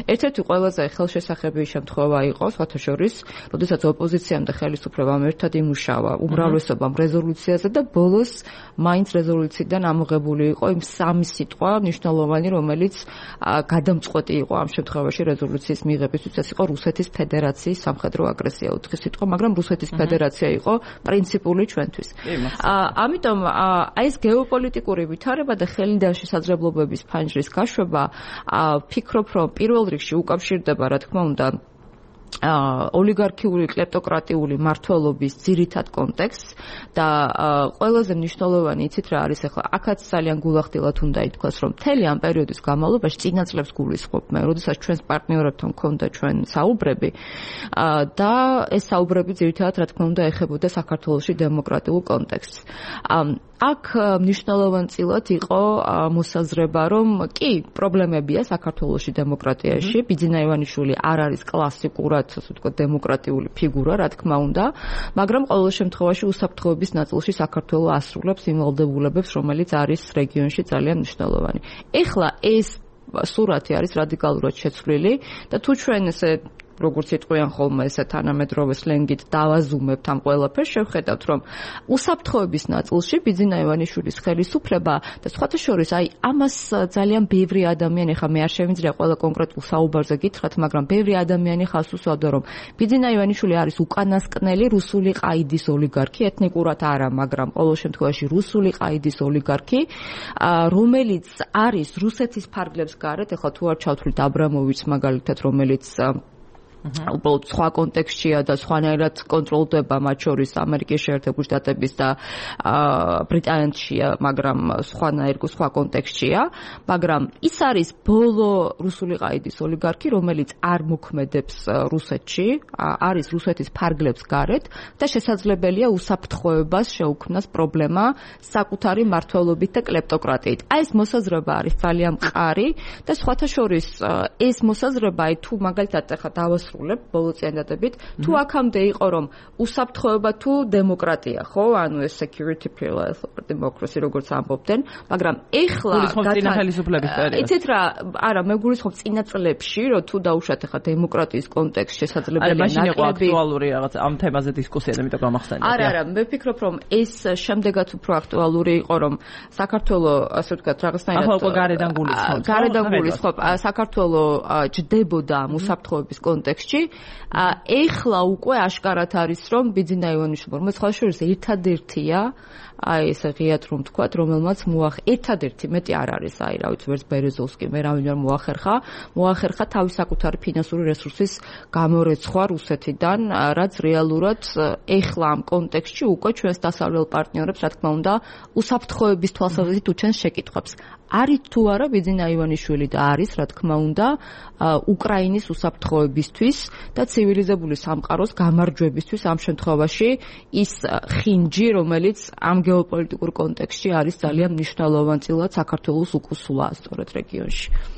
ერთ-ერთი ყველაზე ხელშესახები შემთხვევა იყო, სხვათა შორის, როდესაც ოპოზიციამ და ხელისუფლებამ ერთად იმუშავა უმრავლესობამ რეზოლუციაზე და ბოლოს მაინც რეზოლუციიდან ამოღებული იყო იმ სამი სიტყვა მნიშვნელოვანი, რომელიც გადამწყვეტი იყო ამ შემთხვევაში რეზოლუციის მიღებისთვის, ეს იყო რუსეთის ფედერაციის სამხედრო აგრესია, 4 სიტყვა, მაგრამ რუსეთის ფედერაცია იყო პრინციპული ჩვენთვის. ამიტომ აი ეს გეოპოლიტიკური ვითარება და ხელიდან შესაძლებლობების ფანჯრის გაშვება, ვფიქრობ, რომ პირველ რიგში უკავშირდება, რა თქმა უნდა, ოლიგარქიული კლეპტოკრატიული მმართველობის ძირითად კონტექსტს და ყველაზე მნიშვნელოვანი იცით რა არის ახლა აქაც ძალიან გულახდილად უნდა ითქვას რომ მთელი ამ პერიოდის განმავლობაში წინა წლებს გულისხმობ მე როდესაც ჩვენს პარტნიორებთან მქონდა ჩვენ საუბრები და ეს საუბრები ძირითადად რა თქმა უნდა ეხებოდა საქართველოში დემოკრატიულ კონტექსტს აქ მნიშვნელოვანწილად იყო მოსაზრება რომ კი პრობლემებია საქართველოში დემოკრატიაში ბიძინა ივანიშვილი არ არის კლასიკურად ასე ვთქვათ დემოკრატიული ფიგურა რა თქმა უნდა მაგრამ ყოველ შემთხვევაში უსაფრთხოების ნაწილში საქართველოს ასრულებს იმ ვალდებულებებს რომელიც არის რეგიონში ძალიან მნიშვნელოვანი ეხლა ეს სურათი არის რადიკალურად შეცვლილი და თუ ჩვენ ესე როგორც იტყვიან ხოლმე ესე თანამედროვე სლენგით დავაზუმებთ ამ ყველაფერს, შევხედავთ რომ უსაფრთხოების ნაწილში ბიძინა ივანიშვილის ხელისუფლება და სხვათა შორის აი ამას ძალიან ბევრი ადამიანი, ხა მე არ შემიძლია ყველა კონკრეტულ საუბარზე გითხრათ, მაგრამ ბევრი ადამიანი ხავს უსვავდა რომ ბიძინა ივანიშვილი არის უკანასკნელი რუსული ყაიდის ოლიგარქი, ეთნიკურად არა, მაგრამ ყოველ შემთხვევაში რუსული ყაიდის ოლიგარქი, რომელიც არის რუსეთის ფარგლებს გარეთ, ეხლა თუ არ ჩავთვლით აბრამოვიჩს მაგალითად, რომელიც უბრალოდ სხვა კონტექსტშია და სხვანაირად კონტროლდება მათ შორის ამერიკის შეერთებული შტატების და ბრიტანეთშია, მაგრამ სხვა კონტექსტშია, მაგრამ ის არის ბოლო რუსული ყაიდის ოლიგარქი, რომელიც არ მოქმედებს რუსეთში, არის რუსეთის ფარგლებს გარეთ და შესაძლებელია უსაფრთხოებას შეუქმნას პრობლემა საკუთარი მმართველობით და კლეპტოკრატიით. აი ეს მოსაზრება არის ძალიან მყარი და სხვათა შორის ეს მოსაზრება თუ მაგალითად ახლა დავასრულებ ბოლოწლიანი დადებით, თუ აქამდე იყო რომ უსაფრთხოება თუ დემოკრატია, ხო? ანუ ეს security pillar for democracy როგორც ამბობდნენ, მაგრამ ეხლა იცით რა, არა, მე გულისხმობ წინა წლებში, რომ თუ დაუშვათ ახლა დემოკრატიის კონტექსტში შესაძლებელია მაშინ იყო აქტუალური რაღაც ამ თემაზე დისკუსია, ამიტომ გამახსენეთ. არა, მე ვფიქრობ რომ ეს შემდეგაც უფრო აქტუალური იყო, რომ საქართველოს ასე ვთქვათ რაღაცნაირად ახლა გარედან გულისხმობ, საქართველოს ჯდებოდა ამ უსაფრთხოების კონტექსტში. ეხლა უკვე აშკარად არის რომ ბიძინა ივანიშვილი, რომელიც სხვა შორის ერთადერთია, აი ესე ღიად რომ ვთქვათ, რომელმაც ერთადერთი მეტი არ არის, აი რა ვიცი, ვერც ბერეზოვსკი, მე რა ვინმე მოახერხა თავის საკუთარი ფინანსური რესურსის გამორეცხვა რუსეთიდან, რაც რეალურად ეხლა ამ კონტექსტში უკვე ჩვენს დასავლელ პარტნიორებს, რა თქმა უნდა, უსაფრთხოების თვალსაზრისით უჩენს შეკითხვებს. არის თუ არა ბიძინა ივანიშვილი და არის, რა თქმა უნდა, უკრაინის უსაფრთხოებისთვის და ცივილიზებული სამყაროს გამარჯვებისთვის ამ შემთხვევაში ის ხინჯი, რომელიც ამ გეოპოლიტიკურ კონტექსტში არის ძალიან მნიშვნელოვანწილად საქართველოს უკუსვლა სწორედ რეგიონში.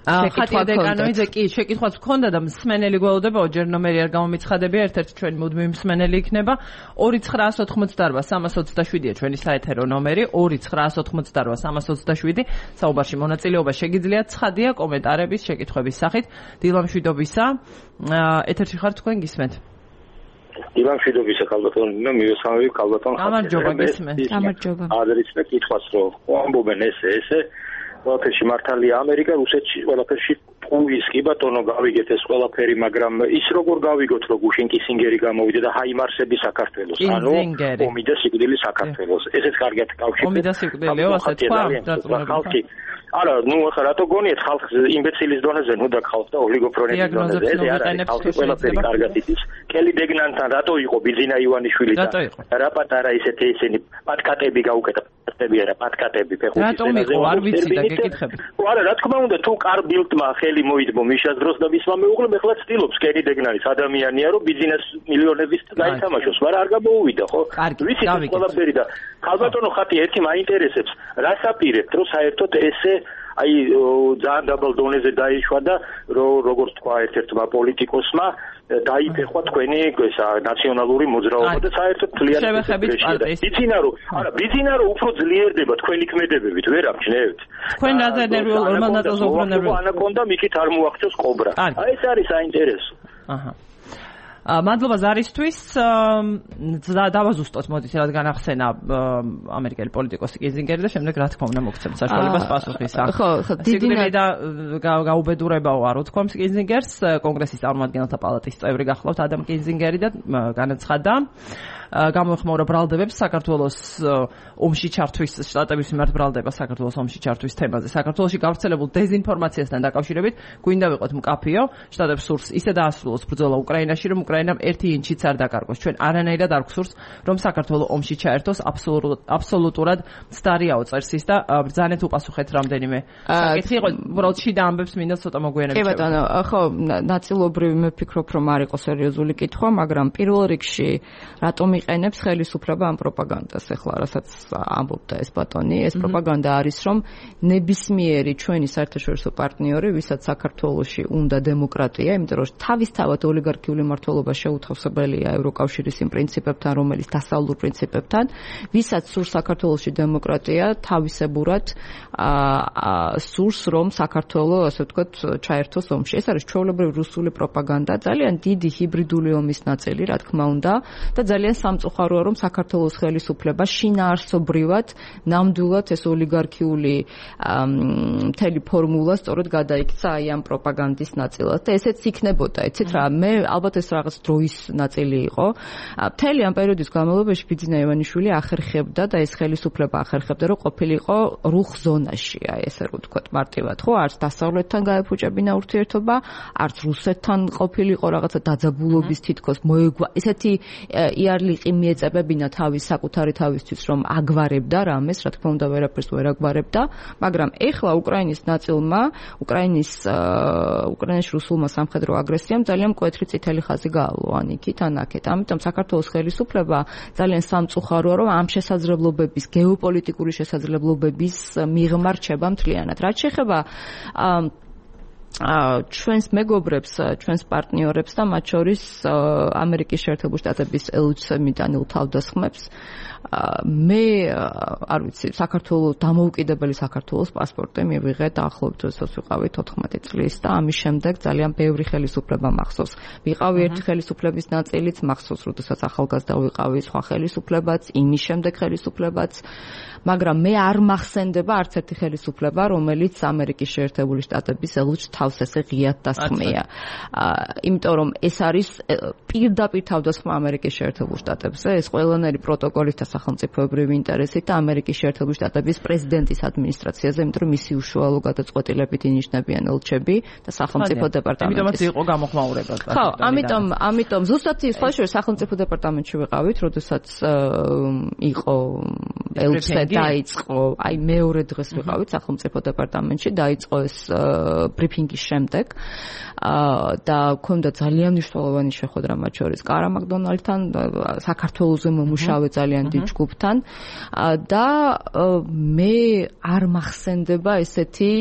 ხატია დეკანოიძე კი შეკითხვაც გქონდა და მსმენელი გველოდებაო, ჯერ ნომერი არ გამომიცხადებია, ერთ-ერთი ჩვენი მუდმივი მსმენელი იქნება 2988-327-ია ჩვენი საეთერო ნომერი 2988-327 საუბარში მონაწილეობა შეგიძლიათ, ცხადია კომენტარების, შეკითხვების სახით. დილამშვიდობისა, ეთერში ხართ თქვენ, გისმენთ? დილამშვიდობისა, ქალბატონო, მივესალმები ქალბატონო. გამარჯობა, გისმენთ. გამარჯობა. ადრეც და კითხვას რომ ამბობენ ესე ყველაფერში მართალია ამერიკა, რუსეთში ყველაფერში პუის კი ბატონო გავიგეთ ეს ყველაფერი, მაგრამ ის როგორ გავიგოთ, რომ გუშინ კისინგერი გამოვიდა და ჰაიმარსები საქართველოს, ანუ ომი და სიკვდილი საქართველოს. ესეც კარგად კავშირდება. ომი და სიკვდილიო, ასე თქვა, ხალხი. არა, ნუ ახლა რატო გონიეთ ხალხს იმბეცილის დონეზე, ნუ და ხალხს და ოლიგოფრონების დონეზე. ეს არის ხალხი ყველაფერი კარგად იცის. კელი დეგნანთან რატო იყო ბიძინა ივანიშვილი და რა პატარა ისეთი ისინი პატკატები გაუკეთა. პატკატები ფეხბურთის რატომ იყო არ ვიცი და გეკითხები. არა, რა თქმა უნდა, თუ კარბილტმა ხელი მოიდბო მიშას დროს და მისმა მეუღლემ ეხლა ცდილობს კენი დეგნანის ადამიანია, რომ ბიზნეს მილიონების გაითამაშოს, მაგრამ არ გამოუვიდა, ხო? ვიცი ეს ყველაფერი და ქალბატონო ხათი ერთი მაინტერესებს, რას აპირებთ, რომ საერთოდ ესე აი ძალიან დაბალ დონეზე დაიშვა და როგორც თქვა ერთ-ერთმა პოლიტიკოსმა დაიფეხვა თქვენი ესა ნაციონალური მოძრაობა და საერთოდ თლიანად ბიძინა რომ უფრო ძლიერდება თქვენი ქმედებებით, ვერ ამჩნევთ. თქვენ რაზე ნერვიულ რომელნაირად უფრო ნერვიულ ანაკონდა მიქით არ მოახდენს კობრა. აი ეს არის საინტერესო. აჰა. მადლობა ზარისთვის. დავაზუსტოთ, მოდით რადგან ახსენა ამერიკელი პოლიტიკოსი კიზინგერი და შემდეგ რა თქმა უნდა მოგცემთ საშუალებას პასუხის. ხო, დიდი და გაუბედურებაო არ უთქვამს კიზინგერს, კონგრესის წარმომადგენელთა პალატის წევრი გახლავთ ადამ კიზინგერი და განაცხადა გამოეხმაურა ბრალდებებს საქართველოს ომში ჩართვის, შტატების მიმართ ბრალდება საქართველოს ომში ჩართვის თემაზე. საქართველოში გავრცელებულ დეზინფორმაციასთან დაკავშირებით გვინდა ვიყოთ მკაფიო, შტატებს სურს ისე დაასრულოს ბრძოლა უკრაინაში, რომ უკრაინამ ერთი ინჩიც არ დაკარგოს. ჩვენ არანაირად არ გვსურს, რომ საქართველო ომში ჩაერთოს, აბსოლუტურად მცდარიაო წერს ის და ბრძანეთ უპასუხეთ რამდენიმე საკითხი. იყო უბრალოდ შიდა ამბებს მინდა ცოტა მოგვიანებით. კი ბატონო, ხო, ნაწილობრივ მე ვფიქრობ, რომ არ იყო სერიოზული კითხვა, მაგრამ პირველ რიგში რატომ იყენებს ხელისუფლება ამ პროპაგანდას, ეხლა რასაც ამბობდა ეს ბატონი, ეს პროპაგანდა არის, რომ ნებისმიერი ჩვენი საერთაშორისო პარტნიორი, ვისაც საქართველოში უნდა დემოკრატია, იმიტომ რომ თავისთავად ოლიგარქიული მმართველობა თანამშრომლობა შეუთავსებელია ევროკავშირის იმ პრინციპებთან, რომელიც დასავლურ პრინციპებთან, ვისაც სურს საქართველოში დემოკრატია, თავისებურად სურს რომ საქართველო, ასე ვთქვათ, ჩაერთოს ომში. ეს არის ჩვეულებრივი რუსული პროპაგანდა, ძალიან დიდი ჰიბრიდული ომის ნაწილი, რა თქმა უნდა, და ძალიან სამწუხაროა, რომ საქართველოს ხელისუფლება შინაარსობრივად, ნამდვილად ეს ოლიგარქიული მთელი ფორმულა სწორედ გადაიქცა აი ამ პროპაგანდის ნაწილად და ესეც იქნებოდა, იცით რა, მე ალბათ ეს რაღაც დროის ნაწილი იყო. მთელი ამ პერიოდის განმავლობაში ბიძინა ივანიშვილი ახერხებდა და ეს ხელისუფლება ახერხებდა, რომ ყოფილიყო რუხ ზონაში, აი ესე რომ ვთქვათ მარტივად, ხო, არც დასავლეთთან გაეფუჭებინა ურთიერთობა, არც რუსეთთან ყოფილიყო რაღაცა დაძაბულობის თითქოს მოეგვა. ესეთი იარლიყი მიეწებებინა თავის საკუთარი თავისთვის, რომ აგვარებდა რამეს, რა თქმა უნდა, ვერაფერს ვერ აგვარებდა, მაგრამ ეხლა უკრაინის ნაწილმა, უკრაინაში რუსულმა სამხედრო აგრესიამ ძალიან მკვეთრი წითელი ხაზი გაავლო ან იქით, ან აქეთ. ამიტომ საქართველოს ხელისუფლება ძალიან სამწუხაროა, რომ ამ შესაძლებლობების, გეოპოლიტიკური შესაძლებლობების მიღმა რჩება მთლიანად. რაც შეეხება ჩვენს მეგობრებს, ჩვენს პარტნიორებს და მათ შორის ამერიკის შეერთებული შტატების ელჩები დანილ თავდასხმებს, მე არ ვიცი, საქართველოს დამოუკიდებელი საქართველოს პასპორტი მივიღე დაახლოებით როდესაც ვიყავი 14 წლის და ამის შემდეგ ძალიან ბევრი ხელისუფლება მახსოვს. ვიყავი ერთი ხელისუფლების ნაწილიც, მახსოვს როდესაც ახალგაზრდა ვიყავი, სხვა ხელისუფლებაც, იმის შემდეგ ხელისუფლებაც, მაგრამ მე არ მახსენდება არც ერთი ხელისუფლება, რომელიც ამერიკის შეერთებული შტატების ელჩს თავს ესე ღიად დასხმეა. იმიტომ რომ ეს არის პირდაპირ თავდასხმა ამერიკის შეერთებულ შტატებზე, ეს ყველანაირი პროტოკოლით და სახელმწიფოებრივი ინტერესით და ამერიკის შეერთებული შტატების პრეზიდენტის ადმინისტრაციაზე, იმიტომ რომ მისი უშუალო გადაწყვეტილებით ინიშნებიან ელჩები და სახელმწიფო დეპარტამენტის. ამიტომაც იყო გამოხმაურება. ხო, ამიტომ ზუსტად სხვა შორის სახელმწიფო დეპარტამენტში ვიყავით, როდესაც იყო ელჩზე დაიწყო, აი მეორე დღეს ვიყავით სახელმწიფო დეპარტამენტში, დაიწყო ეს ბრიფინგის შემდეგ და ქონდა ძალიან მნიშვნელოვანი შეხვედრა მათ შორის კარა მაკდონალდთან, საქართველოზე მომუშავე ძალიან დიდ ჯგუფთან და მე არ მახსენდება ესეთი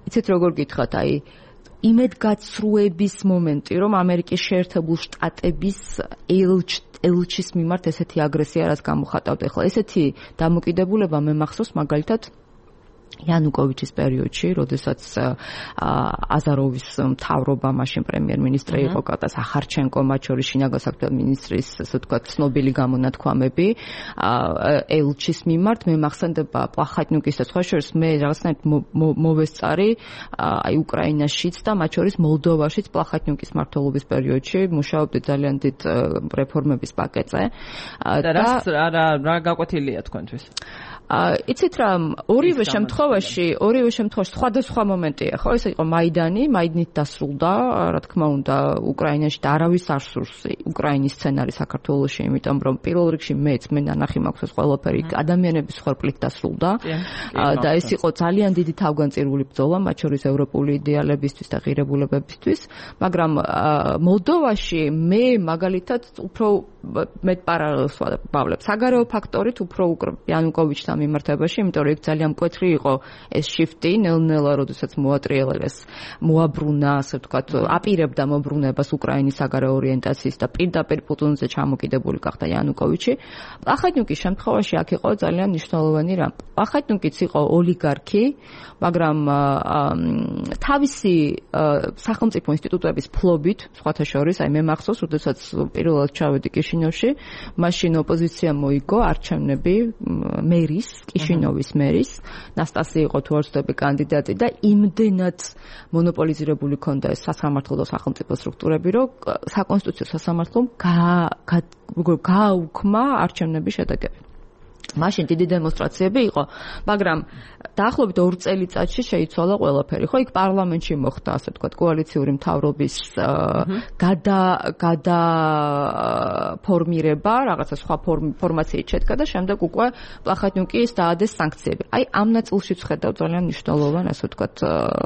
იცით როგორ გითხრათ, აი იმედგაცრუების მომენტი, რომ ამერიკის შეერთებულ შტატების ელჩის მიმართ ესეთი აგრესია რაც გამოხატავდა. ახლა ესეთი დამოკიდებულება მე მახსოვს მაგალითად იანუკოვიჩის პერიოდში, როდესაც აზაროვის მთავრობა, მაშინ პრემიერ-მინისტრი იყო კატა სახარჩენკო, მათ შორის შინაგან საქმეთა მინისტრის, ასე ვთქვათ, ცნობილი გამონათქვამები ელჩის მიმართ, მე მახსენდება პლახატნიუკის და სხვა შორის მე რაღაცნაირად მოვესწარი აი უკრაინაშიც და მათ შორის მოლდოვაშიც პლახატნიუკის მმართველობის პერიოდში მუშაობდი ძალიან დიდ რეფორმების პაკეტზე. და რა გაკვეთილია თქვენთვის? იცით რა, ორივე შემთხვევაში სხვადასხვა მომენტია, ხო? ეს იყო მაიდანით დასრულდა, რა თქმა უნდა, უკრაინაში და არავის არ სურს უკრაინის სცენარი საქართველოში, იმიტომ რომ პირველ რიგში მეც მე ნანახი მაქვს ეს ყველაფერი ადამიანების ხორბლით დასრულდა და ეს იყო ძალიან დიდი თავგანწირული ბრძოლა, მათ შორის ევროპული იდეალებისთვის და ღირებულებებისთვის, მაგრამ მოლდოვაში მე მაგალითად უფრო მეტ პარალელს ვავლებ საგარეო ფაქტორით უფრო იანუკოვიჩთან მიმართებაში, იმიტომ რომ იქ ძალიან მკვეთრი იყო ეს შიფტი, ნელ-ნელა როდესაც მოატრიალეს, მოაბრუნა, ასე ვთქვათ, აპირებდა მობრუნებას უკრაინის საგარეო ორიენტაციის და პირდაპირ პუტინზე ჩამოკიდებული გახდა იანუკოვიჩი. პლახატნიუკის შემთხვევაში აქ იყო ძალიან მნიშვნელოვანი რამ. პლახატნიუკიც იყო ოლიგარქი, მაგრამ თავისი სახელმწიფო ინსტიტუტების ფლობით, სხვათა შორის, აი მე მახსოვს, როდესაც პირველად ჩავედი კიშინოვში, მაშინ ოპოზიცია მოიგო არჩევნები მერის, კიშინოვის მერის, ნასტასი იყო თუ არ ვცდები კანდიდატი და იმდენად მონოპოლიზირებული ქონდა ეს სასამართლო და სახელმწიფო სტრუქტურები, რომ საკონსტიტუციო სასამართლომ გააუქმა არჩევნების შედეგები. მაშინ დიდი დემონსტრაციები იყო, მაგრამ დაახლოებით 2 წელიწადში შეიცვალა ყველაფერი. ხო, იქ პარლამენტში მოხდა, ასე ვთქვათ, კოალიციური მთავრობის გადაფორმირება, რაღაცა სხვა ფორმაციით შედგა და შემდეგ უკვე პლახატნიუკის დაადეს სანქციები. აი ამ ნაწილშიც ხედავ ძალიან მნიშვნელოვან, ასე ვთქვათ,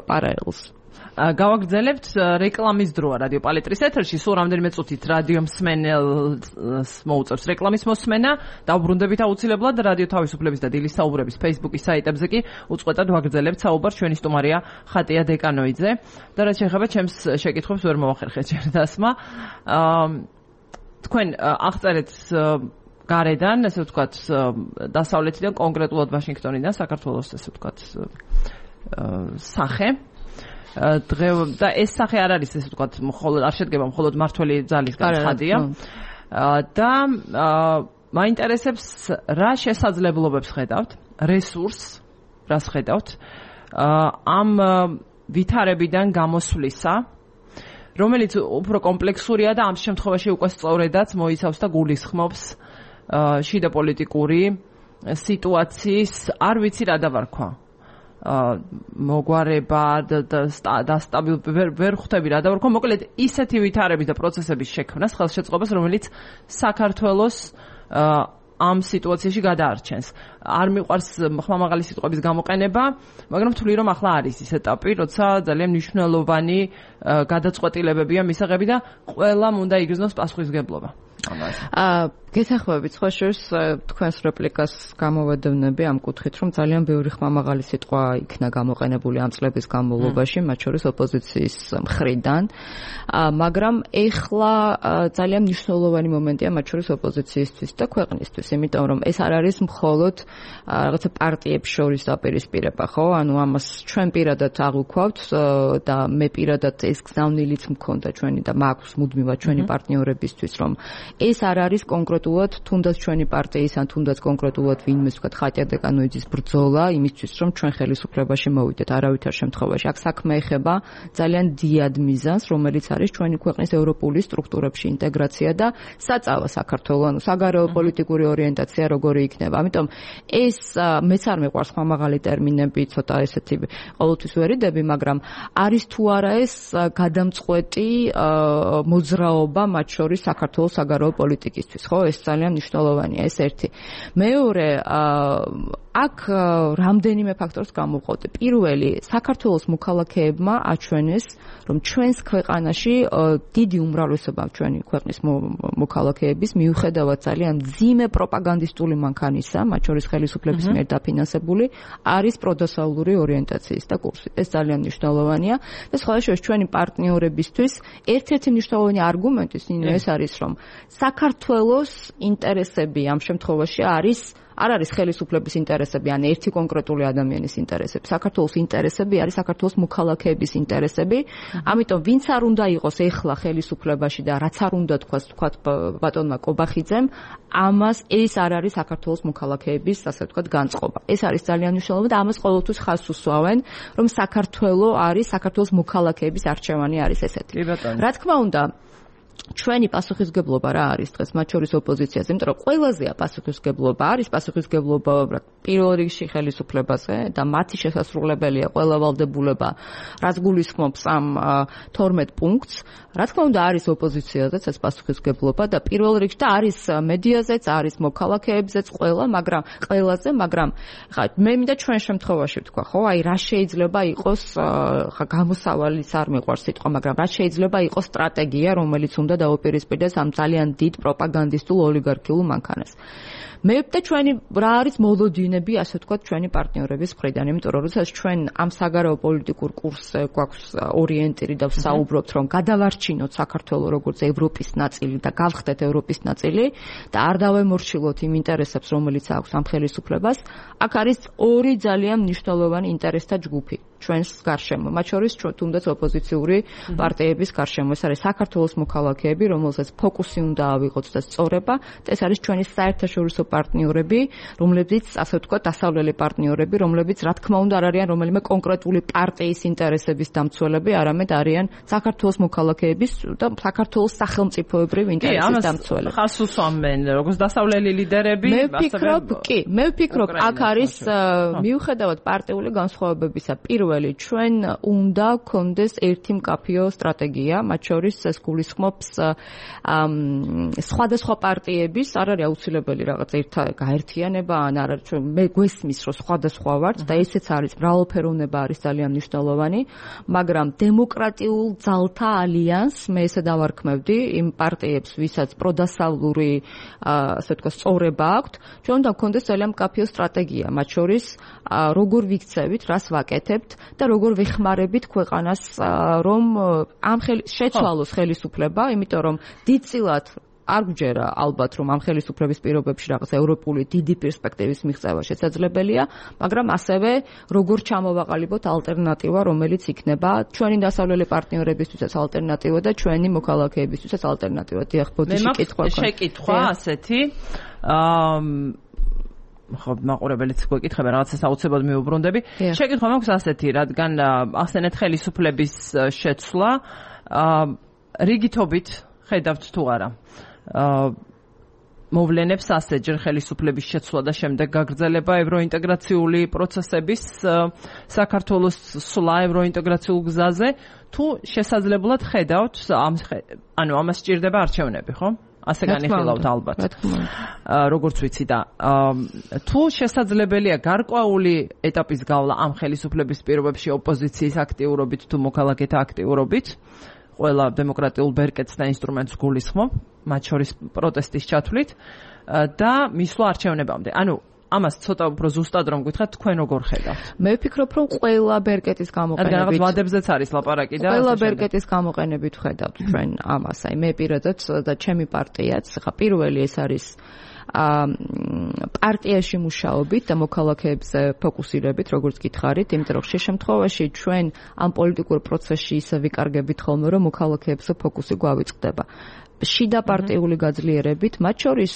პარალელს. გავაგრძელებთ რეკლამის დროა რადიო პალიტრის ეთერში. სულ რამდენიმე წუთით რადიო მსმენელს მოუწევს რეკლამის მოსმენა. დავბრუნდებით აუცილებლად რადიო თავისუფლების და დილის საუბრების Facebook-ის საიტებზე კი უწყვეტად ვაგრძელებთ საუბარს. ჩვენი სტუმარია ხატია დეკანოიძე და რაც შეეხება ჩემს შეკითხვებს ვერ მოვახერხეთ ჯერ დასმა. თქვენ აღწერეთ გარედან, ესე ვთქვათ, დასავლეთიდან, კონკრეტულად ვაშინგტონიდან, საქართველოს ესე ვთქვათ, სახე. და ეს სახე არ არის ესე ვთქვათ, მხოლოდ არ შედგება მხოლოდ მართველი ძალისგან ხადია. და მაინტერესებს რა შესაძლებლობებს ხედავთ, რესურსს რას ხედავთ ამ ვითარებიდან გამოსვლისა, რომელიც უფრო კომპლექსურია და ამ შემთხვევაში უკვე სწორედაც მოიცავს და გულისხმობს შიდა პოლიტიკური სიტუაციის, არ ვიცი რა დავარქვა. მოგვარება და ვერ ხვდები რა დავარქვა. მოკლედ ისეთი ვითარების და პროცესების შექმნას ხელშეწყობას, რომელიც საქართველოს ამ სიტუაციაში გადაარჩენს. არ მიყვარს ხმამაღალი სიტყვების გამოყენება, მაგრამ ვთვლი რომ ახლა არის ის ეტაპი, როცა ძალიან მნიშვნელოვანი გადაწყვეტილებებია მისაღები და ყველამ უნდა იგრძნოს პასუხისმგებლობა. გეთანხმებით სხვა შორის თქვენს რეპლიკას გამოვედოვნები ამ კუთხით, რომ ძალიან ბევრი ხმამაღალი სიტყვა იქნა გამოყენებული ამ წლების განმავლობაში, მათ შორის ოპოზიციის მხრიდან, მაგრამ ეხლა ძალიან მნიშვნელოვანი მომენტია მათ შორის ოპოზიციისთვის და ქვეყნისთვის, იმიტომ რომ ეს არ არის მხოლოდ რაღაცა პარტიებს შორის დაპირისპირება, ხო? ანუ ამას ჩვენ პირადად აღვქვავთ და მე პირადად ეს გზავნილიც მქონდა ჩვენი და მაქვს მუდმივად ჩვენი პარტნიორებისთვის, რომ ეს არ არის კონკრეტულად თუნდაც ჩვენი პარტიის ან თუნდაც კონკრეტულად ვინმეს ვთქვათ ხატია დეკანოიძის ბრძოლა იმისთვის რომ ჩვენ ხელისუფლებაში მოვიდეთ არავითარ შემთხვევაში. აქ საქმე ეხება ძალიან დიდ მიზანს, რომელიც არის ჩვენი ქვეყნის ევროპული სტრუქტურებში ინტეგრაცია და საწავა საქართველოს, ანუ საგარეო პოლიტიკური ორიენტაცია როგორი იქნება. ამიტომ ეს მეც არ მეყვარს ხმამაღალი ტერმინები, ცოტა ესეთი ყოველთვის ვერიდები, მაგრამ არის თუ არა ეს გადამწყვეტი მოძრაობა მათ შორის საქართველოს საგარეო პოლიტიკისთვის, ხო? ეს ძალიან მნიშვნელოვანია, ეს ერთი. მეორე, აქ რამდენიმე ფაქტორს გამოვყავდი. პირველი, საქართველოს მოქალაქეებმა აჩვენეს, რომ ჩვენს ქვეყანაში დიდი უმრავლესობა ჩვენი ქვეყნის მოქალაქეების მიუხედავად ძალიან მძიმე პროპაგანდისტული მანქანისა, მათ შორის ხელისუფლების მიერ დაფინანსებული, არის პროდასავლური ორიენტაციის და კურსი. ეს ძალიან მნიშვნელოვანია და სხვა შორის ჩვენი პარტნიორებისთვის ერთ-ერთი მნიშვნელოვანი არგუმენტი ეს არის, რომ საქართველოს ინტერესები ამ შემთხვევაში არ არის ხელისუფლების ინტერესები, ან ერთი კონკრეტული ადამიანის ინტერესები. საქართველოს ინტერესები არის საქართველოს მოქალაქეების ინტერესები. ამიტომ ვინც არ უნდა იყოს ეხლა ხელისუფლებაში და რაც არ უნდა თქვათ ბატონმა კობახიძემ, ამას ეს არ არის საქართველოს მოქალაქეების, ასე ვთქვათ, განწყობა. ეს არის ძალიან მნიშვნელოვანი და ამას ყოველთვის ხაზს უსვამენ, რომ საქართველოს მოქალაქეების არჩევანი არის ესეთი. რა თქმა უნდა, ჩვენი პასუხისგებლობა რა არის დღეს მათ შორის ოპოზიციაზე, იმიტომ რომ ყველაზე პასუხისგებლობა არის პასუხისგებლობა პირველ რიგში ხელისუფლებაზე და მათი შესასრულებელია ყველა ვალდებულება, რაც გულისხმობს ამ 12 პუნქტს. რა თქმა უნდა არის ოპოზიციაზეც ეს პასუხისგებლობა და პირველ რიგში და არის მედიაზეც, არის მოქალაქეებზეც ყველაზე, მაგრამ ხა მე მინდა ჩვენ შემთხვევაში ვთქვა, ხო, აი რა შეიძლება იყოს ხა გამოსავალიც არ მიყვარს სიტყვა, მაგრამ რა შეიძლება იყოს სტრატეგია, რომელიც უნდა დაუპირისპირდეს ამ ძალიან დიდ პროპაგანდისტულ ოლიგარქიულ მანქანას. მე და ჩვენი რა არის მოლოდინები, ასე ვთქვათ, ჩვენი პარტნიორების მხრიდან, იმიტომ რომ როდესაც ჩვენ ამ საგარეო პოლიტიკურ კურსზე გვაქვს ორიენტირი და ვსაუბრობთ, რომ გადავარჩინოთ საქართველოს როგორც ევროპის ნაწილი და გავხდეთ ევროპის ნაწილი და არ დავემორჩილოთ იმ ინტერესებს, რომელიც აქვს ამ ხელისუფლებას, აქ არის ორი ძალიან მნიშვნელოვანი ინტერესთა ჯგუფი ჩვენს გარშემო, მათ შორის თუნდაც ოპოზიციური პარტიების გარშემო. ეს არის საქართველოს მოქალაქეები, რომელსაც ფოკუსი უნდა ავიღოთ და სწორება, და ეს არის ჩვენი საერთაშორისო პარტნიორები, რომლებიც, ასე ვთქვათ, დასავლელი პარტნიორები, რომლებიც რა თქმა უნდა არ არიან რომელიმე კონკრეტული პარტიის ინტერესების დამცველები, არამედ არიან საქართველოს მოქალაქეების და საქართველოს სახელმწიფოებრივ ინტერესის დამცველები. ხას უსვამენ როგორც დასავლელი ლიდერები, მე ვფიქრობ, აქ არის მიუხედავად პარტიული განსხვავებებისა, პირველ პირველი, ჩვენ უნდა გქონდეს ერთი მკაფიო სტრატეგია, მათ შორის ეს გულისხმობს სხვადასხვა პარტიების, არ არის აუცილებელი რაღაც გაერთიანება, ან არ არის მე გვესმის, რომ სხვადასხვა ვართ და ესეც არის მრავალფეროვნება არის ძალიან მნიშვნელოვანი, მაგრამ დემოკრატიულ ძალთა ალიანსს მე ესე დავარქმევდი იმ პარტიებს, ვისაც პროდასავლური ასე ვთქვათ სწორება აქვთ, ჩვენ უნდა გქონდეს ძალიან მკაფიო სტრატეგია, მათ შორის როგორ ვიქცევით, რას ვაკეთებთ და როგორ ვეხმარებით ქვეყანას, რომ ამ შეცვალოს ხელისუფლება, იმიტომ რომ დიდწილად არ გვჯერა ალბათ რომ ამ ხელისუფლების პირობებში რაღაც ევროპული დიდი პერსპექტივის მიღწევა შესაძლებელია, მაგრამ ასევე როგორ ჩამოვაყალიბოთ ალტერნატივა, რომელიც იქნება ჩვენი დასავლელი პარტნიორებისთვისაც ალტერნატივა და ჩვენი მოქალაქეებისთვისაც ალტერნატივა. დიახ, ბოდიში შეკითხვა ასეთი ხო მაყურებელიც გვეკითხება რაღაცას აუცილებლად მიუბრუნდები. შეკითხვა მაქვს ასეთი, რადგან ახსენეთ ხელისუფლების შეცვლა, რიგითობით ხედავთ თუ არა მოვლენებს ასეთჯერ ხელისუფლების შეცვლა და შემდეგ გაგრძელება ევროინტეგრაციული პროცესების საქართველოს სვლა ევროინტეგრაციულ გზაზე თუ შესაძლებლად ხედავთ ანუ ამას სჭირდება არჩევნები, ხო? ასე განიხილავთ ალბათ. როგორც ვიცი და თუ შესაძლებელია გარკვეული ეტაპის გავლა ამ ხელისუფლების პირობებში ოპოზიციის აქტიურობით თუ მოქალაქეთა აქტიურობით, ყველა დემოკრატიულ ბერკეტს და ინსტრუმენტს გულისხმობ, მათ შორის პროტესტის ჩათვლით და მისვლა არჩევნებამდე. ანუ ამას ცოტა უფრო ზუსტად რომ გითხრათ, თქვენ როგორ ხედავთ? მე ვფიქრობ, რომ ყველა ბერკეტის გამოყენებით რაღაც ვადებზეც არის ლაპარაკი და ყველა ბერკეტის გამოყენებით ვხედავთ ჩვენ ამას. აი მე პირადად და ჩემი პარტიაც, ხა პირველი ეს არის პარტიაში მუშაობით და მოქალაქეებზე ფოკუსირებით, როგორც გითხარით, იმიტომ რომ შემთხვევაში ჩვენ ამ პოლიტიკურ პროცესში ისე ვიკარგებით ხოლმე, რომ მოქალაქეებზე ფოკუსი გვავიწყდება. შიდა პარტიული გაძლიერებით, მათ შორის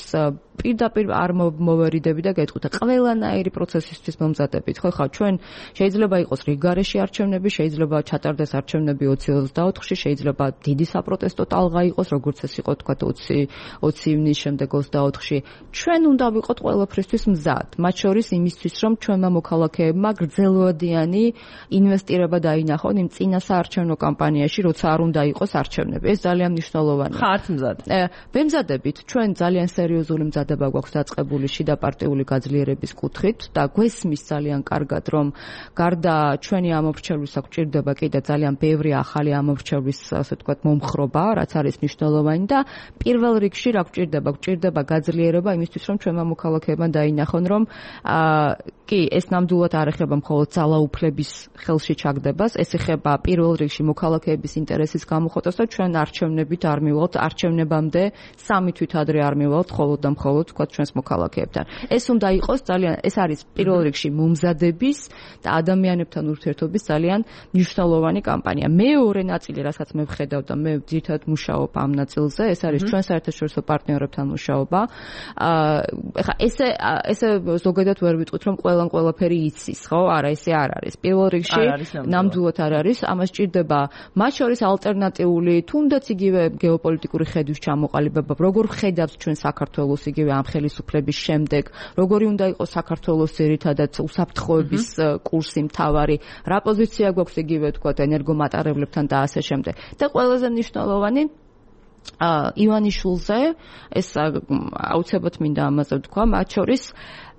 პირდაპირ არ მოვერიდები და გეტყვით, ყველანაირი პროცესისთვის მომზადებით. ხო, ჩვენ შეიძლება იყოს რიგგარეში არჩევნები, შეიძლება ჩატარდეს არჩევნები 2024-ში, შეიძლება დიდი საპროტესტო ტალღა იყოს, როგორც ეს იყო თქვა 20 ივნის შემდეგ 24-ში. ჩვენ უნდა ვიყოთ ყველაფრისთვის მზად, მათ შორის იმისთვის, რომ ჩვენმა მოქალაქეებმა გრძელვადიანი ინვესტირება დაინახონ იმ წინა საარჩევნო კამპანიაში, როცა არ უნდა იყოს არჩევნები. ეს ძალიან მნიშვნელოვანია. ხართ მზად? ვემზადებით, ჩვენ ძალიან სერიოზული მზადება გვაქვს დაწყებული შიდა პარტიული გაძლიერების კუთხით და გვესმის ძალიან კარგად, რომ გარდა ჩვენი ამორჩევლის აქ ჭირდება კიდე ძალიან ბევრი ახალი ამორჩევლის, ასე ვთქვათ, მომხრობა, რაც არის მნიშვნელოვანი და პირველ რიგში რა გვჭირდება გაძლიერება იმისთვის, რომ ჩვენმა მოქალაქეებმა დაინახონ, რომ კი, ეს ნამდვილად არ ეხება მხოლოდ ძალაუფლების ხელში ჩაგდებას, ეს ეხება პირველ რიგში მოქალაქეების ინტერესის გამოხატვას და ჩვენ არჩევნებით არ მივალთ, არჩევნებამდე 3 თვით ადრე არ მივალთ მხოლოდ და მხოლოდ თქვათ ჩვენს მოქალაქეებთან. ეს უნდა იყოს ძალიან, ეს არის პირველ რიგში მომზადების და ადამიანებთან ურთიერთობის ძალიან მნიშვნელოვანი კამპანია. მეორე ნაწილი, რასაც მე ვხედავ და მე ძირითადად მუშაობ ამ ნაწილზე, ეს არის ჩვენ საერთაშორისო პარტნიორებთან მუშაობა. ეხლა ესე ზოგადად ვერ ვიტყვით, რომ ყველაფერი იცის, ხო? არა, ესე არ არის. პირველ რიგში ნამდვილად არ არის. ამას ჭირდება მათ შორის ალტერნატიული, თუნდაც იგივე გეოპოლიტიკური ხედვის ჩამოყალიბება, როგორ ხედავს ჩვენ საქართველოს იგივე ამ ხელისუფლების შემდეგ, როგორი უნდა იყოს საქართველოს ძირითადად უსაფრთხოების კურსი მთავარი, რა პოზიცია გვაქვს იგივე თქვა ენერგომატარებლებთან და ასე შემდეგ. და ყველაზე მნიშვნელოვანი ივანიშვილზე, ეს აუცილებლად მინდა ამაზე ვთქვა, მათ შორის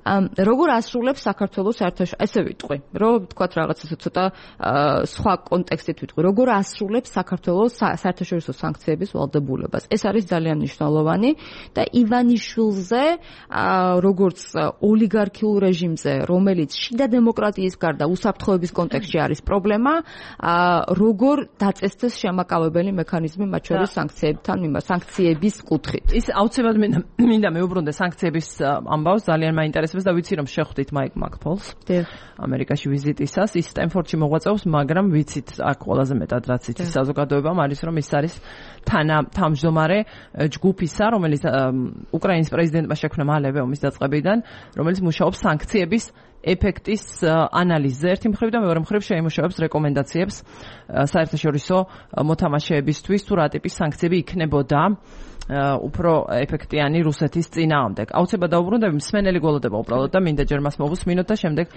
როგორ ასრულებს საქართველოს საერთაშორისო, ესე ვიტყვი, რომ თქვათ რაღაც ესე ცოტა სხვა კონტექსტით ვიტყვი, როგორ ასრულებს საქართველოს საერთაშორისო სანქციების ვალდებულებას. ეს არის ძალიან მნიშვნელოვანი და ივანიშვილზე, როგორც ოლიგარქიულ რეჟიმზე, რომელიც შიდა დემოკრატიის გარდა უსაფრთხოების კონტექსტში არის პრობლემა, როგორ დაწესდეს შემაკავებელი მექანიზმი მათ შორის სანქციების კუთხით. ის აუცილებლად მინდა მეუბრუნდე სანქციების ამბავს, ძალიან მაინტერესებს და ვიცი რომ შეხვდით მაიკ მაკფოლს ამერიკაში ვიზიტისას, ის სტენფორდში მოღვაწეობს, მაგრამ ვიცით აქ ყველაზე მეტად რაც იცის საზოგადოებამ არის რომ ის არის თანამშრომარე ჯგუფისა, რომელიც უკრაინის პრეზიდენტმა შექმნა მალევე ომის დაწყებიდან, რომელიც მუშაობს სანქციების ეფექტის ანალიზზე ერთი მხრივ და მეორე მხრივ შეიმუშავებს რეკომენდაციებს საერთაშორისო მოთამაშეებისთვის თუ რა ტიპის სანქციები იქნებოდა უფრო ეფექტიანი რუსეთის წინააღმდეგ. აუცილებლად დაუბრუნდები, მსმენელი გველოდება უბრალოდ და მინდა ჯერ მას მოვუსმინოთ და შემდეგ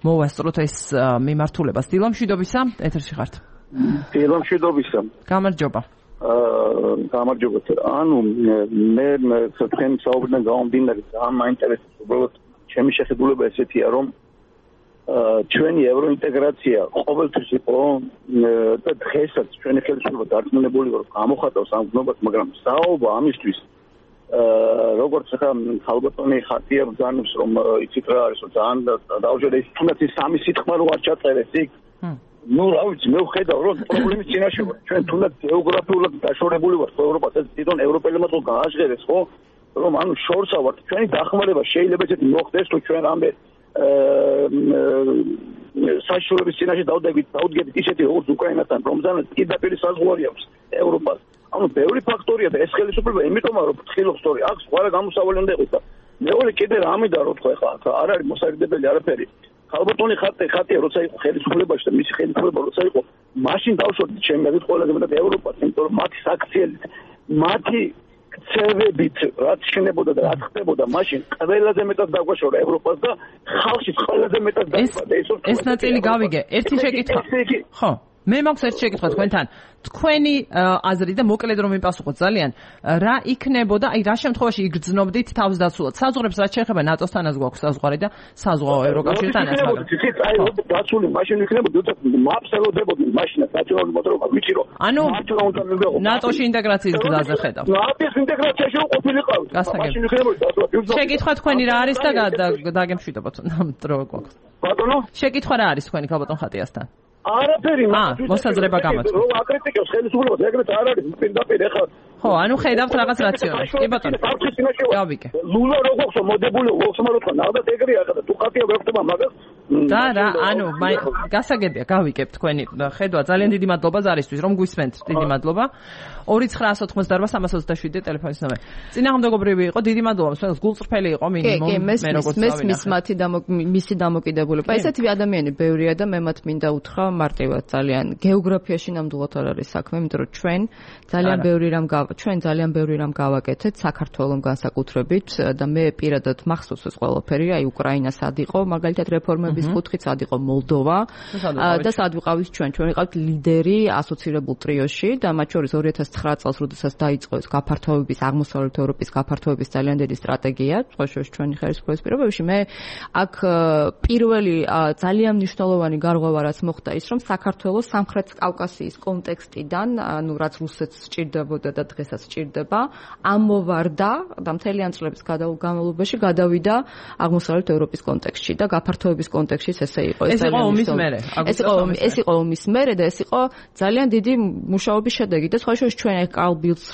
მოვასწროთ ეს მიმართულებას. დილამშვიდობისა, ეთერში ხართ. დილამშვიდობისა. გამარჯობა. გამარჯობა. ანუ მე თქვენ საუბრიდან გამომდინარე ძალიან მაინტერესებს უბრალოდ ჩემი შეხედულება ესეთია რომ ჩვენი ევროინტეგრაცია ყოველთვის იყო და დღესაც ჩვენი ხელისუფლება დარწმუნებული ვარ გამოხატავს ამ გზნობას, მაგრამ საუბარ ამისთვის როგორც ხა ხალბატონი ხარტია ბრძანებს რომ იცით რა არის რომ ძალიან დაუჯერე ის თუნდაც ის სამი სიტყვა რო არ ჩაწერეს იქ ნუ რა ვიცი მე ვხედავ რომ პრობლემის წინაშე ვარ ჩვენ თუნდაც გეოგრაფიულად დაშორებული ვართ ევროპას ეს თვითონ ევროპელებმა თუ გააჟღერეს ხო რომ ანუ შორსა ვართ ჩვენი დახმარება შეიძლება ესეთი მოხდეს თუ ჩვენ რამე საშუალების წინაშე დავდგებით ისეთი როგორც უკრაინასთან რომზანაც პირდაპირ საზღვარი აქვს ევროპას ანუ ბევრი ფაქტორია და ეს ხელისუფლება იმიტომ რომ ფრთხილობს თორე აქ სხვა გამოსავალი უნდა იყოს და მეორე კიდე რა მინდა რომ თქვა ხა არ არის მოსაგრდებელი არაფერი ხალბატონი ხატია როცა იყო ხელისუფლებაში და მისი ხელისუფლება როცა იყო მაშინ დავშორდით ჩემი აზრით ყველაზე მეტად ევროპას იმიტომ რომ მათი საქციელით მათი ცევებით რაც შენებოდა და რაც ხდებოდა მაშინ ყველაზე მეტად დაგვაშორა ევროპას და ხალხი ყველაზე მეტად დაიბადა ეს ნაწილი გავიგე ერთი შეკითხვა ხო მე მაქვს ერთი შეკითხვა თქვენთან თქვენი აზრი და მოკლედ რომ მიპასუხოთ ძალიან რა იქნებოდა აი რა შემთხვევაში იგრძნობდით თავს დაცულად საზღვრებს რაც შეეხება ნატოსთანაც გვაქვს საზღვარი და საზღვაო ევროკავშირთანაც მაგრამ აი დაცული მაშინ იქნებოდა მაპს ელოდებოდნენ მაშინაც ნაციონალური მოძრაობა ვიცი რომ ანუ ნატოში ინტეგრაციის გზაზე ხედავ ნატოს ინტეგრაციაში ყოფილიყავით მაშინ იქნებოდა შეკითხვა თქვენი რა არის და დაგემშვიდობოთ დრო გვაქვს ბატონო შეკითხვა რა არის თქვენი ხალბატონ ხატიასთან არაფერი მოსაზრება გამოწვევ. რომ აკრიტიკებს ხელისუფლებას, ეგრეთ არ არის პირდაპირ ეხლა. ხო, ანუ ხედავთ რაღაც რაციონალს. კი ბატონო. გავიგე. ლულა როგორ მოდებული ვოხსმაროთ ნახდათ ეგრეა და თუ ხატია ვეხტება მაგას. და რა, ანუ გასაგებია, გავიგებ თქვენი ხედვა. ძალიან დიდი მადლობა ზარისთვის, რომ გვისმენთ. დიდი მადლობა. 2988327 ტელეფონის ნომერი. წინააღმდეგობრივი იყო, დიდი მადლობა. მსმენელს გულწრფელი იყო მინიმუმ მე როგორც მისი დამოკიდებულება. ესეთივე ადამიანი ბევრია და მე მათ მინდა უთხრა მარტივად ძალიან გეოგრაფიაში ნამდვილად არ არის საქმე, იმიტომ რომ ჩვენ ძალიან ბევრი რამ გავაკეთეთ საქართველოს განსაკუთრებით და მე პირადად მახსოვს ეს ყველაფერი, აი უკრაინა სად იყო, მაგალითად რეფორმების კუთხით სად იყო მოლდოვა და სად ვიყავით ჩვენ ვიყავთ ლიდერი ასოცირებულ ტრიოში და მათ შორის 2009 წელს როდესაც დაიწყო ეს გაფართოების აღმოსავლეთ ევროპის გაფართოების ძალიან დიდი სტრატეგია, სწორედ ჩვენი ხელისუფლების პირობებში მე აქ პირველი ძალიან მნიშვნელოვანი გარღვევა რაც მოხდა ის რომ საქართველოს სამხრეთ კავკასიის კონტექსტიდან, ანუ რაც რუსეთს სჭირდებოდა და დღესაც სჭირდება, ამოვარდა და მთელი ამ წლების განმავლობაში გადავიდა აღმოსავლეთ ევროპის კონტექსტში და გაფართოების კონტექსტში ესე იყო. ეს იყო ომის მერე. ეს იყო ომის მერე და ეს იყო ძალიან დიდი მუშაობის შედეგი და სხვა შორის ჩვენ კარლ ბილდს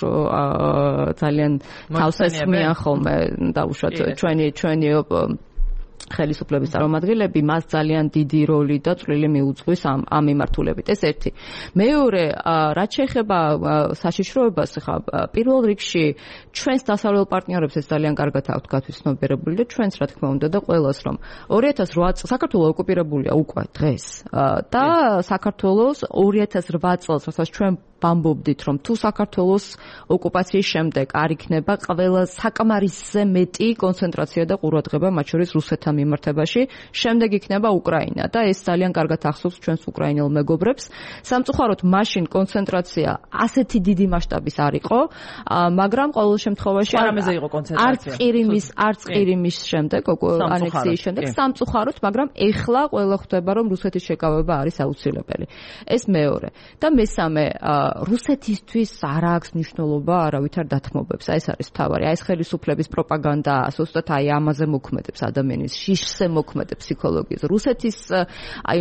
ძალიან თავს ესმიან ხოლმე დაუშვათ ჩვენი ხელისუფლების წარმომადგენლები მას ძალიან დიდი როლი და წვლილი მიუძღვის ამ მიმართულებით. ეს ერთი. მეორე, რაც შეეხება საშიშროებას, ხა პირველ რიგში ჩვენს დასავლელ პარტნიორებს ეს ძალიან კარგად აქვთ გათვითცნობიერებული და ჩვენს რა თქმა უნდა და ყველას რომ 2008 წელს საქართველოს ოკუპირებულია უკვე დღეს და საქართველოს 2008 წელს რასაც ჩვენ ვამბობდით რომ თუ საქართველოს ოკუპაციის შემდეგ არ იქნება ყველა საკმარისზე მეტი კონცენტრაცია და ყურადღება მათ შორის რუსეთთან მიმართებაში, შემდეგ იქნება უკრაინა და ეს ძალიან კარგად ახსოვს ჩვენს უკრაინელ მეგობრებს. სამწუხაროდ მაშინ კონცენტრაცია ასეთი დიდი მასშტაბის არ იყო, მაგრამ ყოველ შემთხვევაში არამეზე იყო კონცენტრაცია. არც ყირიმის შემდეგ, ანექსიის შემდეგ, სამწუხაროდ, მაგრამ ეხლა ყველა ხვდება რომ რუსეთის შეკავება არის აუცილებელი. ეს მეორე. და მესამე რუსეთისთვის არ აქვს მნიშვნელობა არავითარ დათმობებს. ეს არის თავარი. ეს ხელისუფლების პროპაგანდა, ზუსტად აი ამაზე მოქმედებს ადამიანის შიშზე მოქმედებს ფსიქოლოგიაზე. რუსეთის აი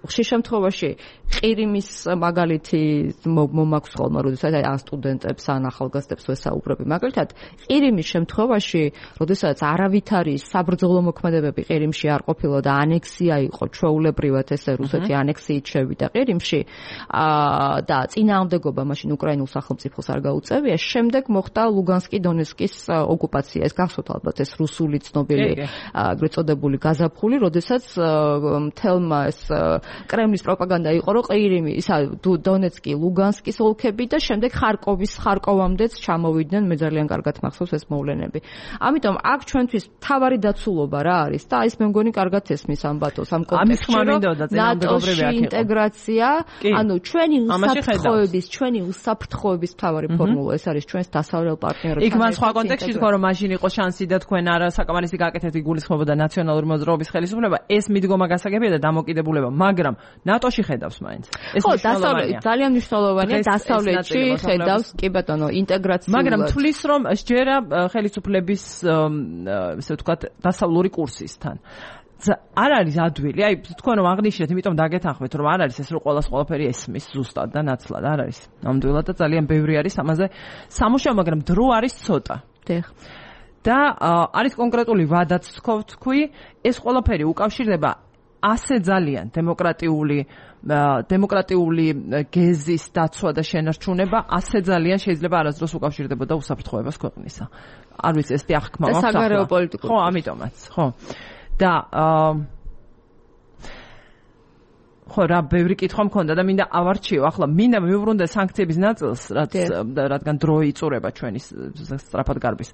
ხშირ შემთხვევაში ყირიმის მაგალითი მომაქვს ხოლმე, როდესაც აი სტუდენტებს ან ახალგაზრდებს ვესაუბრები. მაგალითად, ყირიმის შემთხვევაში, როდესაც არავითარი საბრძოლო მოქმედებები ყირიმში არ ყოფილა და ანექსია იყო ჩვეულებრივად ესე რუსეთი ანექსიით შევიდა ყირიმში და წინააღმდეგობა მაშინ უკრაინულ სახელმწიფოს არ გაუწევია, შემდეგ მოხდა ლუგანსკი დონეცკის ოკუპაცია. ეს გახსოვთ ალბათ ეს რუსული ცნობილი ეგრეთ წოდებული გაზაფხული, როდესაც მთელმა ეს კრემლის პროპაგანდა იყო, რომ ყირიმი, ისა დონეცკი, ლუგანსკის ოლქები და შემდეგ ხარკოვამდეც ჩამოვიდნენ, მე ძალიან კარგად მახსოვს ეს მოვლენები. ამიტომ აქ ჩვენთვის თავარი დაცულობა რა არის და ის მე მგონი კარგად ესმის ამ ბატონს ამ კონტექსტში, რომ ნატოში ინტეგრაცია, ანუ ჩვენი უსაფრთხოების თავარი ფორმულა ეს არის ჩვენს დასავლელ პარტნიორებთან. იქ მან სხვა კონტექსტში თქვა, რომ მაშინ იყო შანსი და თქვენ არა საკამარისი გაკეთეთ იგულისხმებოდა ნაციონალური მოძრაობის ხელისუფლება, ეს მიდგომა გასაგებია და დამოკიდებულება, მაგრამ ნატოში ხედავს მაინც. ეს მნიშვნელოვანია. ძალიან მნიშვნელოვანია დასავლეთში ხედავს, კი ბატონო, ინტეგრაციულად. მაგრამ თulis რომ შეერა ხელისუფლების ესე ვთქვათ დასავლური კურსისთან. არ არის ადვილი, აი თქვენ რომ აღნიშნეთ, იმიტომ დაგეთანხმეთ, რომ არ არის ეს რომ ყველაფერი ესმის ზუსტად და ნაცვლად, არ არის. ნამდვილად და ძალიან ბევრი არის ამაზე სამუშაო, მაგრამ დრო არის ცოტა. და არის კონკრეტული ვადაც თქვი, ეს ყველაფერი უკავშირდება ასე ძალიან დემოკრატიული გეზის დაცვა და შენარჩუნება, ასე ძალიან შეიძლება არასდროს უკავშირდებოდა უსაფრთხოებას ქვეყნისა. არ ვიცი, ეს ახკმა მაქვს. საგარეო პოლიტიკურ. ხო, ამიტომაც, ხო. და ხო რა ბევრი კითხვა მქონდა და მინდა ავარჩიო ახლა მინდა მივუბრუნდე სანქციების ნაწილს რადგან დრო იწურება ჩვენი სწრაფად გარბის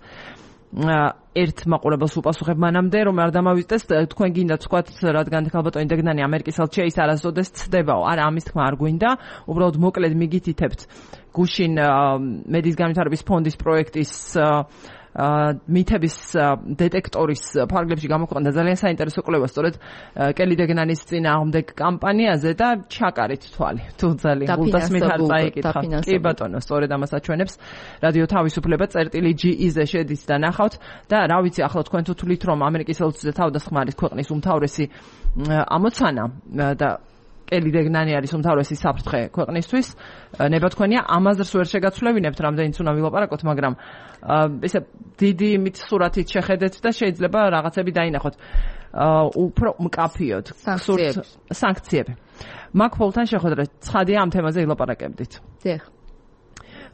ერთ მაყურებელს უპასუხებ მანამდე რომ არ დამავიწყდეს თქვენ გინდა თქვათ რადგან ქალბატონი დეგნანი ამერიკის ელჩია ის არასოდეს ცდებაო არა ამის თქმა არ გვინდა უბრალოდ მოკლედ მიგითითებთ გუშინ მედის განვითარების ფონდის პროექტის მითების დეტექტორის ფარგლებში გამოქვეყნდა ძალიან საინტერესო კვლევა სწორედ კელი დეგნანის წინააღმდეგ კამპანიაზე და ჩაკარით თვალი თუ ძალიან გულდას მითხარ წაიკითხა კი ბატონო სწორედ ამას აჩვენებს რადიო თავისუფლება წერტილი.ge-ზე შედით და ნახავთ და რა ვიცი ახლა თქვენ თუ თვლით რომ ამერიკის ელჩზე თავდასხმა არის ქვეყნის უმთავრესი ამოცანა და კელი დეგნანი არის უმთავრესი საფრთხე ქვეყნისთვის. ნება თქვენია ამაზრს ვერ შეგაცვლევინებთ, რამდენიც უნდა ვილაპარაკოთ, მაგრამ ესე დიდი იმით სურათით შეხედეთ და შეიძლება რაღაცები დაინახოთ. უფრო მკაფიოდ სანქციები. მაკფოლთან შეხვედრა ცხადია ამ თემაზე ილაპარაკებდით. დიახ.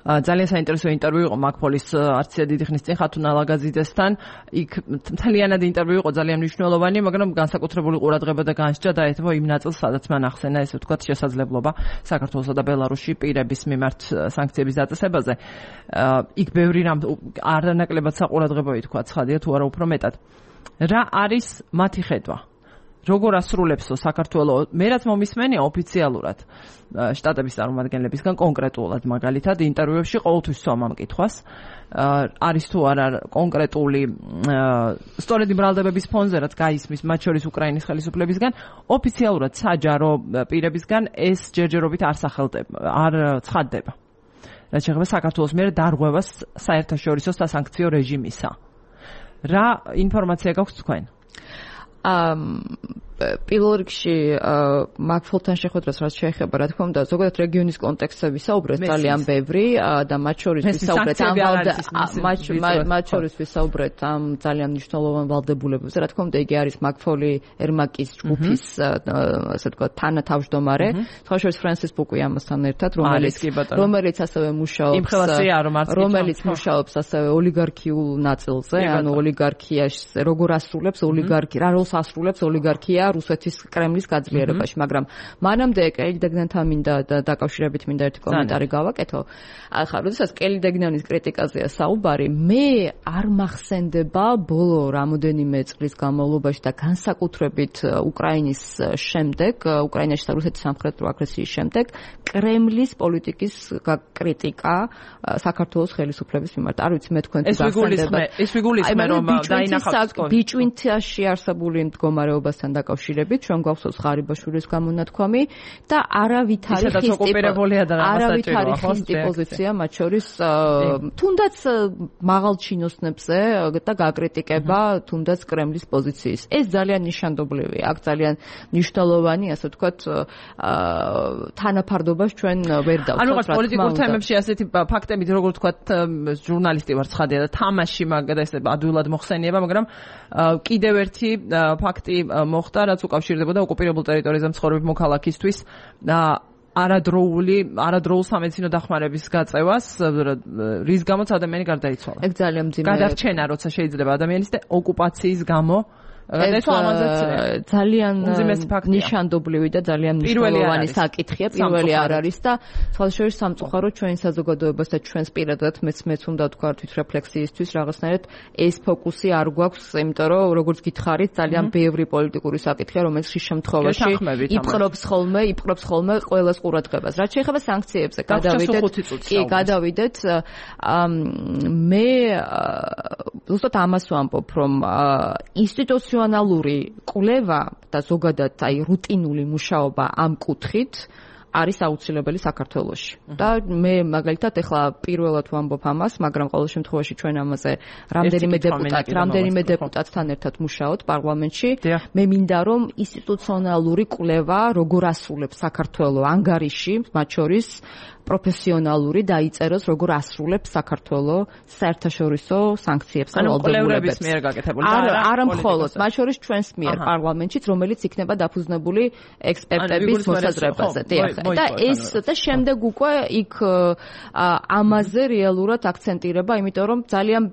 ძალიან საინტერესო ინტერვიუ იყო მაკფოლის არც დიდი ხნის წინ ხათუნა ლაგაზიძესთან. იქ მთლიანად ინტერვიუ იყო ძალიან მნიშვნელოვანი, მაგრამ განსაკუთრებული ყურადღება და განსჯა დაეთმო იმ ნაწილს, სადაც მან ახსენა ესე ვთქვათ შესაძლებლობა საქართველოსა და ბელარუსში პირების მიმართ სანქციების დაწესებაზე. იქ ბევრი რამ არანაკლებად საყურადღებოა თქვა, ცხადია თუ არა უფრო მეტად. რა არის მათი ხედვა? როგორ ასრულებსო საქართველოს მე რაც მომისმენია ოფიციალურად შტატების წარმომადგენლებისგან კონკრეტულად მაგალითად ინტერვიუებში ყოველთვის სვამ ამ კითხვას არის თუ არა კონკრეტული სწორედ იმ ბრალდებების ფონზე რაც გაისმის მათ შორის უკრაინის ხელისუფლებისგან ოფიციალურად საჯარო პირებისგან ეს ჯერჯერობით არ ცხადდება რაც შეეხება საქართველოს მიერ დარღვევას საერთაშორისო სასანქციო რეჟიმისა რა ინფორმაცია გაქვთ თქვენ პირველ რიგში მაკფოლთან შეხვედრას რაც შეეხება რა თქმა უნდა ზოგადად რეგიონის კონტექსტები საუბრეთ ძალიან ბევრი და მათ შორის ვისაუბრეთ ამ ძალიან მნიშვნელოვან ვალდებულებებზე რა თქმა უნდა იგი არის მაკფოლი ერმაკის ჯგუფის ასე ვთქვათ თანათავმჯდომარე სხვაშორის ფრენსის ბუკი ამასთან ერთად რომელიც ასევე მუშაობს ასევე ოლიგარქიულ ნაწილზე ანუ ოლიგარქიაში როგორ ასრულებს რა როლს ასრულებს ოლიგარქია რუსეთის კრემლის გაძლიერებაში, მაგრამ მანამდე კელი დეგნანთან მინდა დაკავშირებით მინდა ერთი კომენტარი გავაკეთო. ახლა როდესაც კელი დეგნანის კრიტიკაზეა საუბარი, მე არ მახსენდება ბოლო რამოდენიმე წლის განმავლობაში და განსაკუთრებით უკრაინის შემდეგ, უკრაინაში და რუსეთის სამხრეთო აგრესიის შემდეგ, კრემლის პოლიტიკის კრიტიკა საქართველოს ხელისუფლების მიმართ. არ ვიცი მე თქვენ თუ გახსენდება. ეს ვიგულისხმე რომ დაინახავთ ბიჭვინთაში არსებული მდგომარეობასთან დაკავშირებით ჩვენ გვახსოვს ღარიბაშვილის გამონათქვამი და არავითარი ხისტი პოზიცია მათ შორის თუნდაც მაღალ ჩინოსნებზე და გაკრიტიკება თუნდაც კრემლის პოზიციის ეს ძალიან ნიშანდობლივია აქ ძალიან მნიშვნელოვანი ასე ვთქვათ თანაფარდობას ჩვენ ვერ დავწევთ ანუ რაღაც პოლიტიკურ თემებში ასეთი ფაქტები როგორ ვთქვათ ჟურნალისტი ვარ ცხადია და თამაში მაგდა ესე ადვილად მოხსენიება მაგრამ კიდევ ერთი ფაქტი მოხდა რაც უკავშირდებოდა ოკუპირებულ ტერიტორიაზე მცხოვრები მოქალაქისთვის და არადროულ სამედიცინო დახმარების გაწევას, რის გამოც ადამიანი გარდაიცვალა. ეგ ძალიან მძიმე. გადარჩენა, როცა შეიძლება ადამიანის და ოკუპაციის გამო ძალიან ნიშანდობლივი და ძალიან მნიშვნელოვანი საკითხია. პირველი არ არის და სხვადასხვა სამწუხაროდ ჩვენ საზოგადოებას და ჩვენს პირადად მეც უნდა თქვა თვითრეფლექსიისთვის რაღაცნაირად ეს ფოკუსი არ გვაქვს, იმიტომ რომ როგორც გითხარით, ძალიან ბევრი პოლიტიკური საკითხია, რომელიც ხშირ შემთხვევაში იპყრობს ხოლმე ყველას ყურადღებას. რაც შეეხება სანქციებზე, გადავიდეთ. მე ზუსტად ამას ვამბობ, რომ ინსტიტუციონალური კვლევა და ზოგადად რუტინული მუშაობა ამ კუთხით არის აუცილებელი საქართველოში. და მე მაგალითად ეხლა პირველად ვამბობ ამას, მაგრამ ყოველ შემთხვევაში ჩვენ ამაზე რამდენიმე დეპუტატთან ერთად მუშაობთ პარლამენტში. მე მინდა რომ ინსტიტუციონალური კვლევა როგორ ასრულებს საქართველოს ანგარიში, მათ შორის პროფესიონალური დაიწეროს როგორ ასრულებს საქართველოს საერთაშორისო სანქციებს და ვალდებულებებს. არა მხოლოდ, მათ შორის ჩვენს მიერ პარლამენტშიც, რომელიც იქნება დაფუძნებული ექსპერტების მოსაზრებაზე. და ეს და შემდეგ უკვე იქ ამაზე რეალურად აქცენტირება, იმიტომ რომ ძალიან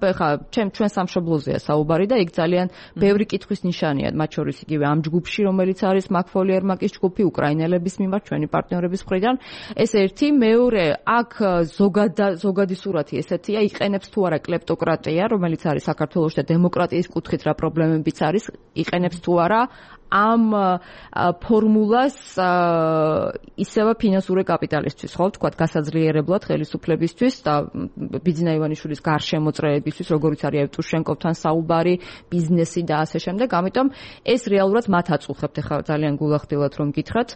ჩვენ სამშობლოზეა საუბარი და იქ ძალიან ბევრი კითხვის ნიშანია, მათ შორის იგივე ამ ჯგუფში, რომელიც არის მაკფოლი ერმაკის ჯგუფი, უკრაინელების მიმართ, ჩვენი პარტნიორების მხრიდან. ეს ერთი, მეორე, აქ ზოგადი სურათი ესეთია, იყენებს თუ არა კლეპტოკრატია, რომელიც არის საქართველოში და დემოკრატიის კუთხით რა პრობლემებიც არის, იყენებს თუ არა ამ ფორმულას ისევე ფინანსური კაპიტალისთვის, ხო, თქვა გასაძლიერებლად ხელისუფლებისთვის და ბიძინა ივანიშვილის გარშემოწრეებისთვის, როგორიც არის ევტუშენკოვთან საუბარი, ბიზნესი და ასე შემდეგ. ამიტომ ეს რეალურად მათ აწუხებთ. ახლა ძალიან გულახდილად რომ გითხრათ,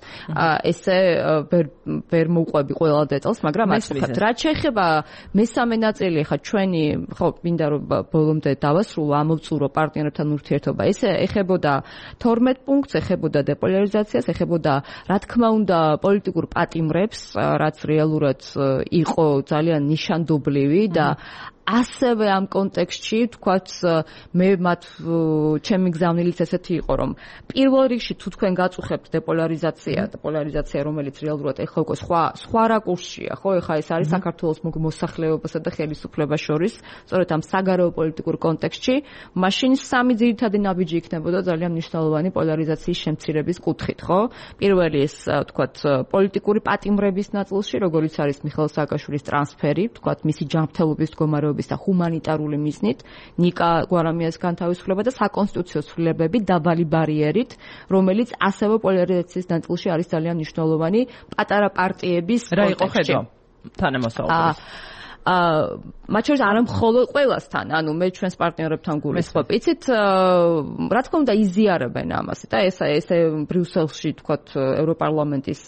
ესე ვერ მოვყვები ყველა დეტალს, მაგრამ აწუხებთ. რაც შეეხება მესამე ნაწილი, ახლა ჩვენი, ხო, მინდა რომ ბოლომდე დავასრულო, ამოვწურო პარტნიორებთან ურთიერთობა. ეს ეხებოდა 12 პუნქტს, ეხებოდა დეპოლარიზაციას, ეხებოდა რა თქმა უნდა პოლიტიკურ პატიმრებს, რაც რეალურად იყო ძალიან ნიშანდობლივი და ასევე ამ კონტექსტში თქვათ მე ჩემი გზავნილიც ესეთი იყო რომ პირველ რიგში თუ თქვენ გაწუხებთ დეპოლარიზაცია რომელიც რეალურად ეხლა უკვე სხვა რაკურსშია ხო ეხლა ეს არის საქართველოს მოსახლეობასა და ხელისუფლებას შორის სწორედ ამ საგარეო პოლიტიკურ კონტექსტში მაშინ სამი ძირითადი ნაბიჯი იქნებოდა ძალიან მნიშვნელოვანი პოლარიზაციის შემცირების კუთხით ხო პირველი ეს თქვათ პოლიტიკური პატიმრების ნაწილში როგორიც არის მიხეილ სააკაშვილის ტრანსფერი თქვათ მისი ჯანმრთელობის მდგომარეობა და ჰუმანიტარული მიზნით ნიკა გვარამიას განთავისუფლება და საკონსტიტუციო ცვლილებები დაბალი ბარიერით რომელიც ასევე პოლარიზაციის ნაწილში არის ძალიან მნიშვნელოვანი პატარა პარტიების რა იყო ხედვა თანამოსაუბრით მათ შორის არა მხოლოდ ყველასთან, ანუ მე ჩვენს პარტნიორებთან გულისხმობ. იცით, რა თქმა უნდა იზიარებენ ამას და ესე ბრიუსელში თქვათ ევროპარლამენტის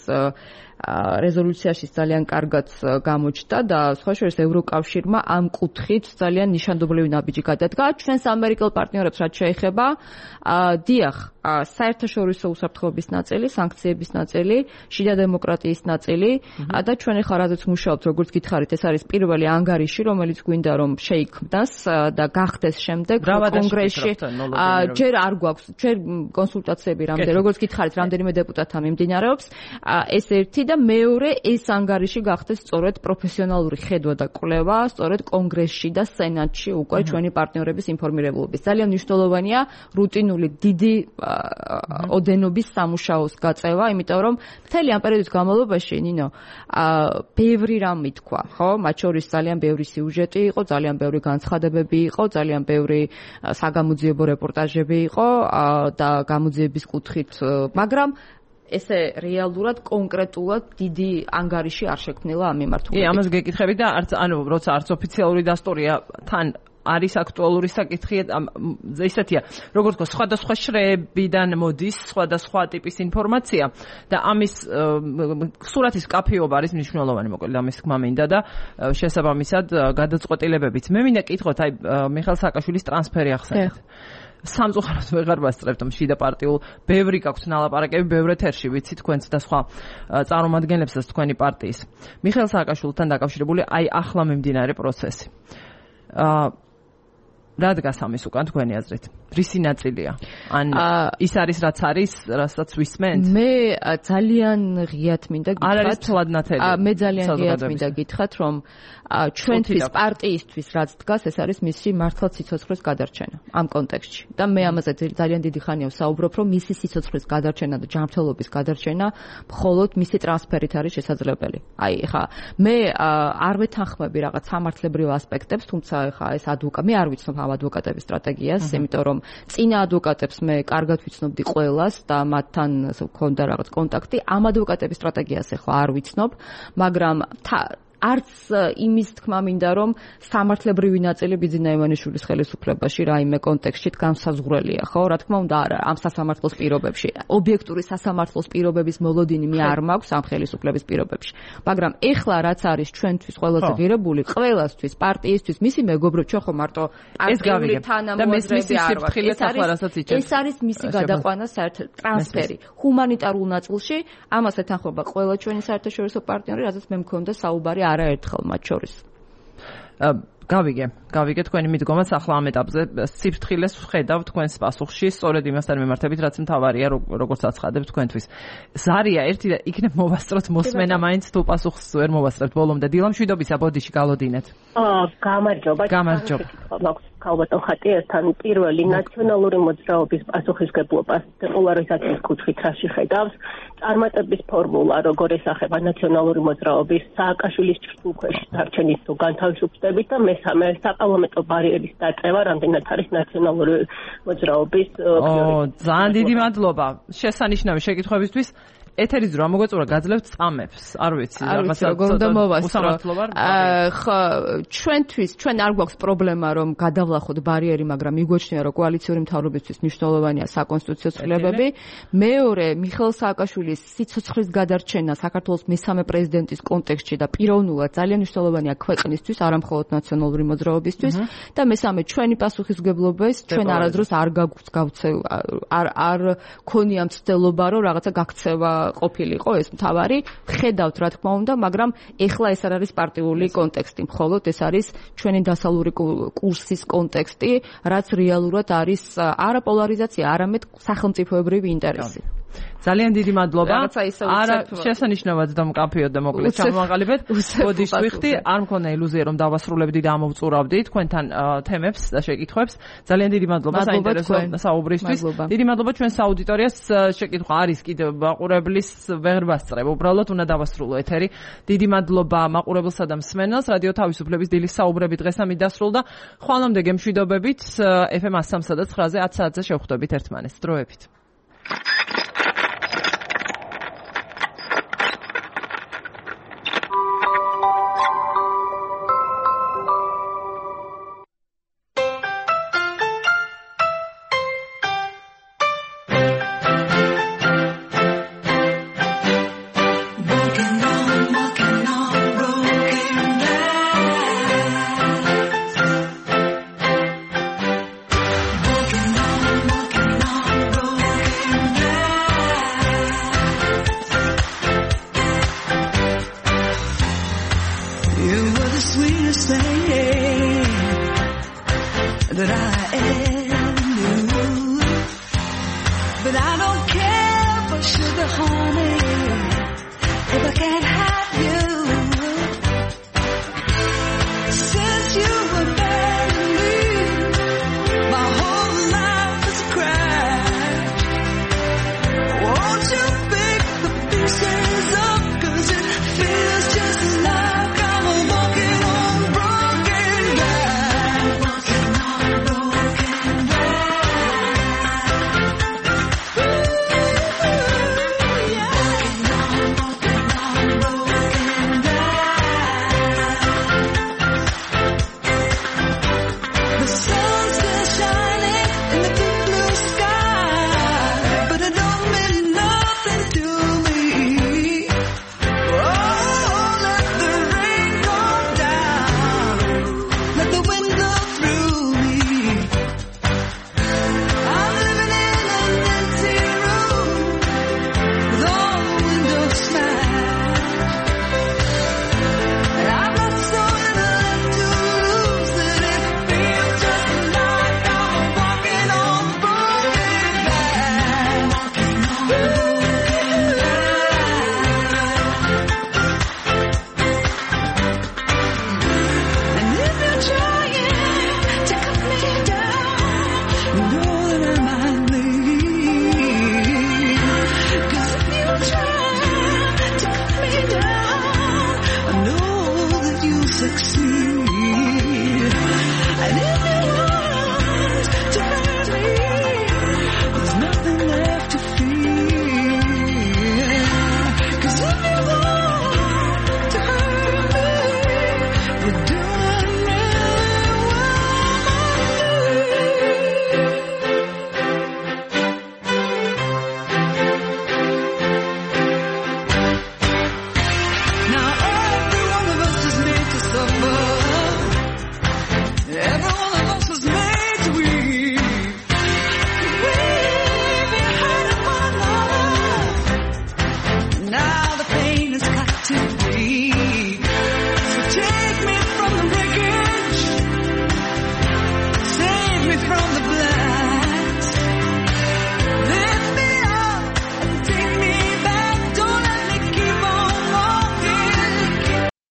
რეზოლუციაში ძალიან კარგად გამოჩნდა და სხვა შორის ევროკავშირმა ამ კუთხით ძალიან ნიშანდობლივი ნაბიჯი გადადგა ჩვენს ამერიკელ პარტნიორებს რაც შეეხება დიახ საერთაშორისო უსაფრთხოების ნაწილი, სანქციების ნაწილი, შიდა დემოკრატიის ნაწილი და ჩვენ ახლა რაზეც მუშაობთ როგორც გითხარით ეს არის პირველი ანგარიში რომელიც გვინდა რომ შეიქმნას და გახდეს შემდეგ კონგრესში ჯერ არ გვაქვს ჯერ კონსულტაციები რამდენი როგორც გითხარით რამდენიმე დეპუტატთან მიმდინარეობს ეს ერთი და მეორე ეს ანგარიში გახდეს სწორედ პროფესიონალური ხედვა და კვლევა სწორედ კონგრესში და სენატში უკვე ჩვენი პარტნიორების ინფორმირებულობის ძალიან მნიშვნელოვანია რუტინული დიდი ოდენობის სამუშაოს გაწევა იმიტომ რომ მთელი ამ პერიოდის განმავლობაში ნინო ბევრი რამ ითქვა ხო მათ შორის ძალიან ბევრი სიუჟეტი იყო ძალიან ბევრი განცხადებები იყო ძალიან ბევრი საგამოძიებო რეპორტაჟები იყო და გამოძიების კუთხით მაგრამ ესე რეალურად კონკრეტულად დიდი ანგარიში არ შექმნილა ამ მიმართულებით. კი, ამას გეკითხები და ანუ როცა არც ოფიციალური დასტურია თან არის აქტუალური საკითხი ესეთია როგორც თქო სხვადასხვა შრეებიდან მოდის სხვადასხვა ტიპის ინფორმაცია და ამის სურათის კაფეობა არის მნიშვნელოვანი მოკლედ ამის თქმა მინდა და შესაბამისად გადაწყვეტილებებიც მე მინდა კითხოთ აი მიხეილ სააკაშვილის ტრანსფერი ახსენეთ სამწუხაროდ ვეღარ ვასწრებთ შიდა პარტიულ ბევრი გაქვთ ნალაპარაკები ბევრ ეთერში ვიცი თქვენც და სხვა წარმომადგენლებსაც თქვენი პარტიის მიხეილ სააკაშვილთან დაკავშირებული აი ახლა მიმდინარე პროცესი რა დგას ამის უკან თქვენი აზრით? რისი ნაწილია? ან ის არის რაც არის, რასაც ვისმენთ? მე ძალიან ღიად მინდა გითხრათ. არ არის თლადნათელი. მე ძალიან ღიად მინდა გითხრათ, რომ ჩვენთვის პარტიისთვის რაც დგას, ეს არის მისი მართლაც სიცოცხლის გადარჩენა ამ კონტექსტში. და მე ამაზე ძალიან დიდი ხანია ვსაუბრობ, რომ მისი სიცოცხლის გადარჩენა და ჯანმრთელობის გადარჩენა მხოლოდ მისი ტრანსფერით არის შესაძლებელი. აი, ხა მე არ ვეთანხმები რაღაც სამართლებრივ ასპექტებს, თუმცა ხა ეს მე არ ვიცნობ ამ ადვოკატების სტრატეგიას, იმიტომ რომ წინა ადვოკატებს მე კარგად ვიცნობდი ყველას და მათთან მქონდა რაღაც კონტაქტი. ამ ადვოკატების სტრატეგიას ახლა არ ვიცნობ, მაგრამ არც იმის თქმა მინდა რომ სამართლებრივი ნაწილი ბიძინა ივანიშვილის ხელისუფლებაში რაიმე კონტექსტში განსაზღვრელია, ხო? რა თქმა უნდა, არა, ამ სასამართლოს პირობებში. ობიექტური სასამართლოს პირობების მოლოდინი მე არ მაქვს ამ ხელისუფლების პირობებში. მაგრამ ეხლა რაც არის ჩვენთვის ყველაზე ღირებული, ყველასთვის, პარტიისთვის, მისი მეგობრებს, ჩვენ ხო მარტო პარტიული თანამოაზრეები არ ვართ. ეს არის მისი გადაყვანა საერთოდ ტრანსფერი ჰუმანიტარულ ნაწილში, ამას ეთანხმება ყველა ჩვენი საერთაშორისო პარტნიორი, რაზეც მე მქონდა საუბარი არაერთხელ მათ შორის. გავიგე თქვენი მიდგომას ახლა ამ ეტაპზე სიფრთხილეს ვხედავ თქვენს პასუხში, სწორედ იმასთან მიმართებით, რაც მთავარია, როგორც აცხადებ თქვენთვის. ზარია ერთი და იქნებ მოვასწროთ მოსმენა მაინც თუ პასუხს ვერ მოვასწრებთ ბოლომდე. დილამშვიდობისა, ბოდიში გალოდინეთ. გამარჯობა. ქალბატონ ხატიასთან პირველი ნაციონალური მოძრაობის პასუხისგებლობას დეპოლარიზაციის კუთხით რაში ხედავს, წარმატების ფორმულა როგორ ესახება ნაციონალური მოძრაობის სააკაშვილის ჭრილქვეშ დარჩენის თუ განთავისუფლდებით და მესამე საპარლამენტო ბარიერის დაწევა, რამდენად არის ნაციონალური მოძრაობის ძალიან დიდი მადლობა შესანიშნავი შეკითხვებისთვის. ეთერის დრო მოგვეწურა გაძლევთ წამებს, არ ვიცი, რაღაცა როგორ უნდა მოვასწრო. ხო, ჩვენ არ გვაქვს პრობლემა რომ გადავლახოთ ბარიერი, მაგრამ მიგვაჩნია რომ კოალიციური მთავრობისთვის მნიშვნელოვანია საკონსტიტუციო ცვლილებები. მეორე, მიხეილ სააკაშვილის სიცოცხლის გადარჩენა საქართველოს მესამე პრეზიდენტის კონტექსტში და პიროვნულად ძალიან მნიშვნელოვანია ქვეყნისთვის, არა მხოლოდ ნაციონალური მოძრაობისთვის და მესამე ჩვენი პასუხისმგებლობის ჩვენ არასდროს არ ქონია მცდელობა რომ რაღაცა გაქცევა ყოფილიყო ეს მთავარი, ხედავთ რა თქმა უნდა, მაგრამ ეხლა ეს არ არის პარტიული კონტექსტი, მხოლოდ ეს არის ჩვენი დასავლური კურსის კონტექსტი, რაც რეალურად არის არა პოლარიზაცია, არამედ სახელმწიფოებრივი ინტერესი. ძალიან დიდი მადლობა. არა შესანიშნავად და მკაფიოდ და მოკლედ ჩამოვაყალიბეთ. ბოდიშ ვიხდი, არ მქონდა ილუზია რომ დავასრულებდი და ამოვწურავდი თქვენთან თემებს და შეკითხვებს. ძალიან დიდი მადლობა საინტერესო საუბრისთვის. დიდი მადლობა ჩვენს აუდიტორიას. შეკითხვა არის კიდევ მაყურებლის ვერ ვასწრებ. უბრალოდ უნდა დავასრულო ეთერი. დიდი მადლობა მაყურებელსა და მსმენელს. რადიო თავისუფლების დილის საუბრები დღეს ამით დასრულდა. ხვალამდე გემშვიდობებით. FM 103 და 9-ზე 10 საათზე შევხვდებით ერთმანეთს. დროებით. You were the sweetest thing that I ever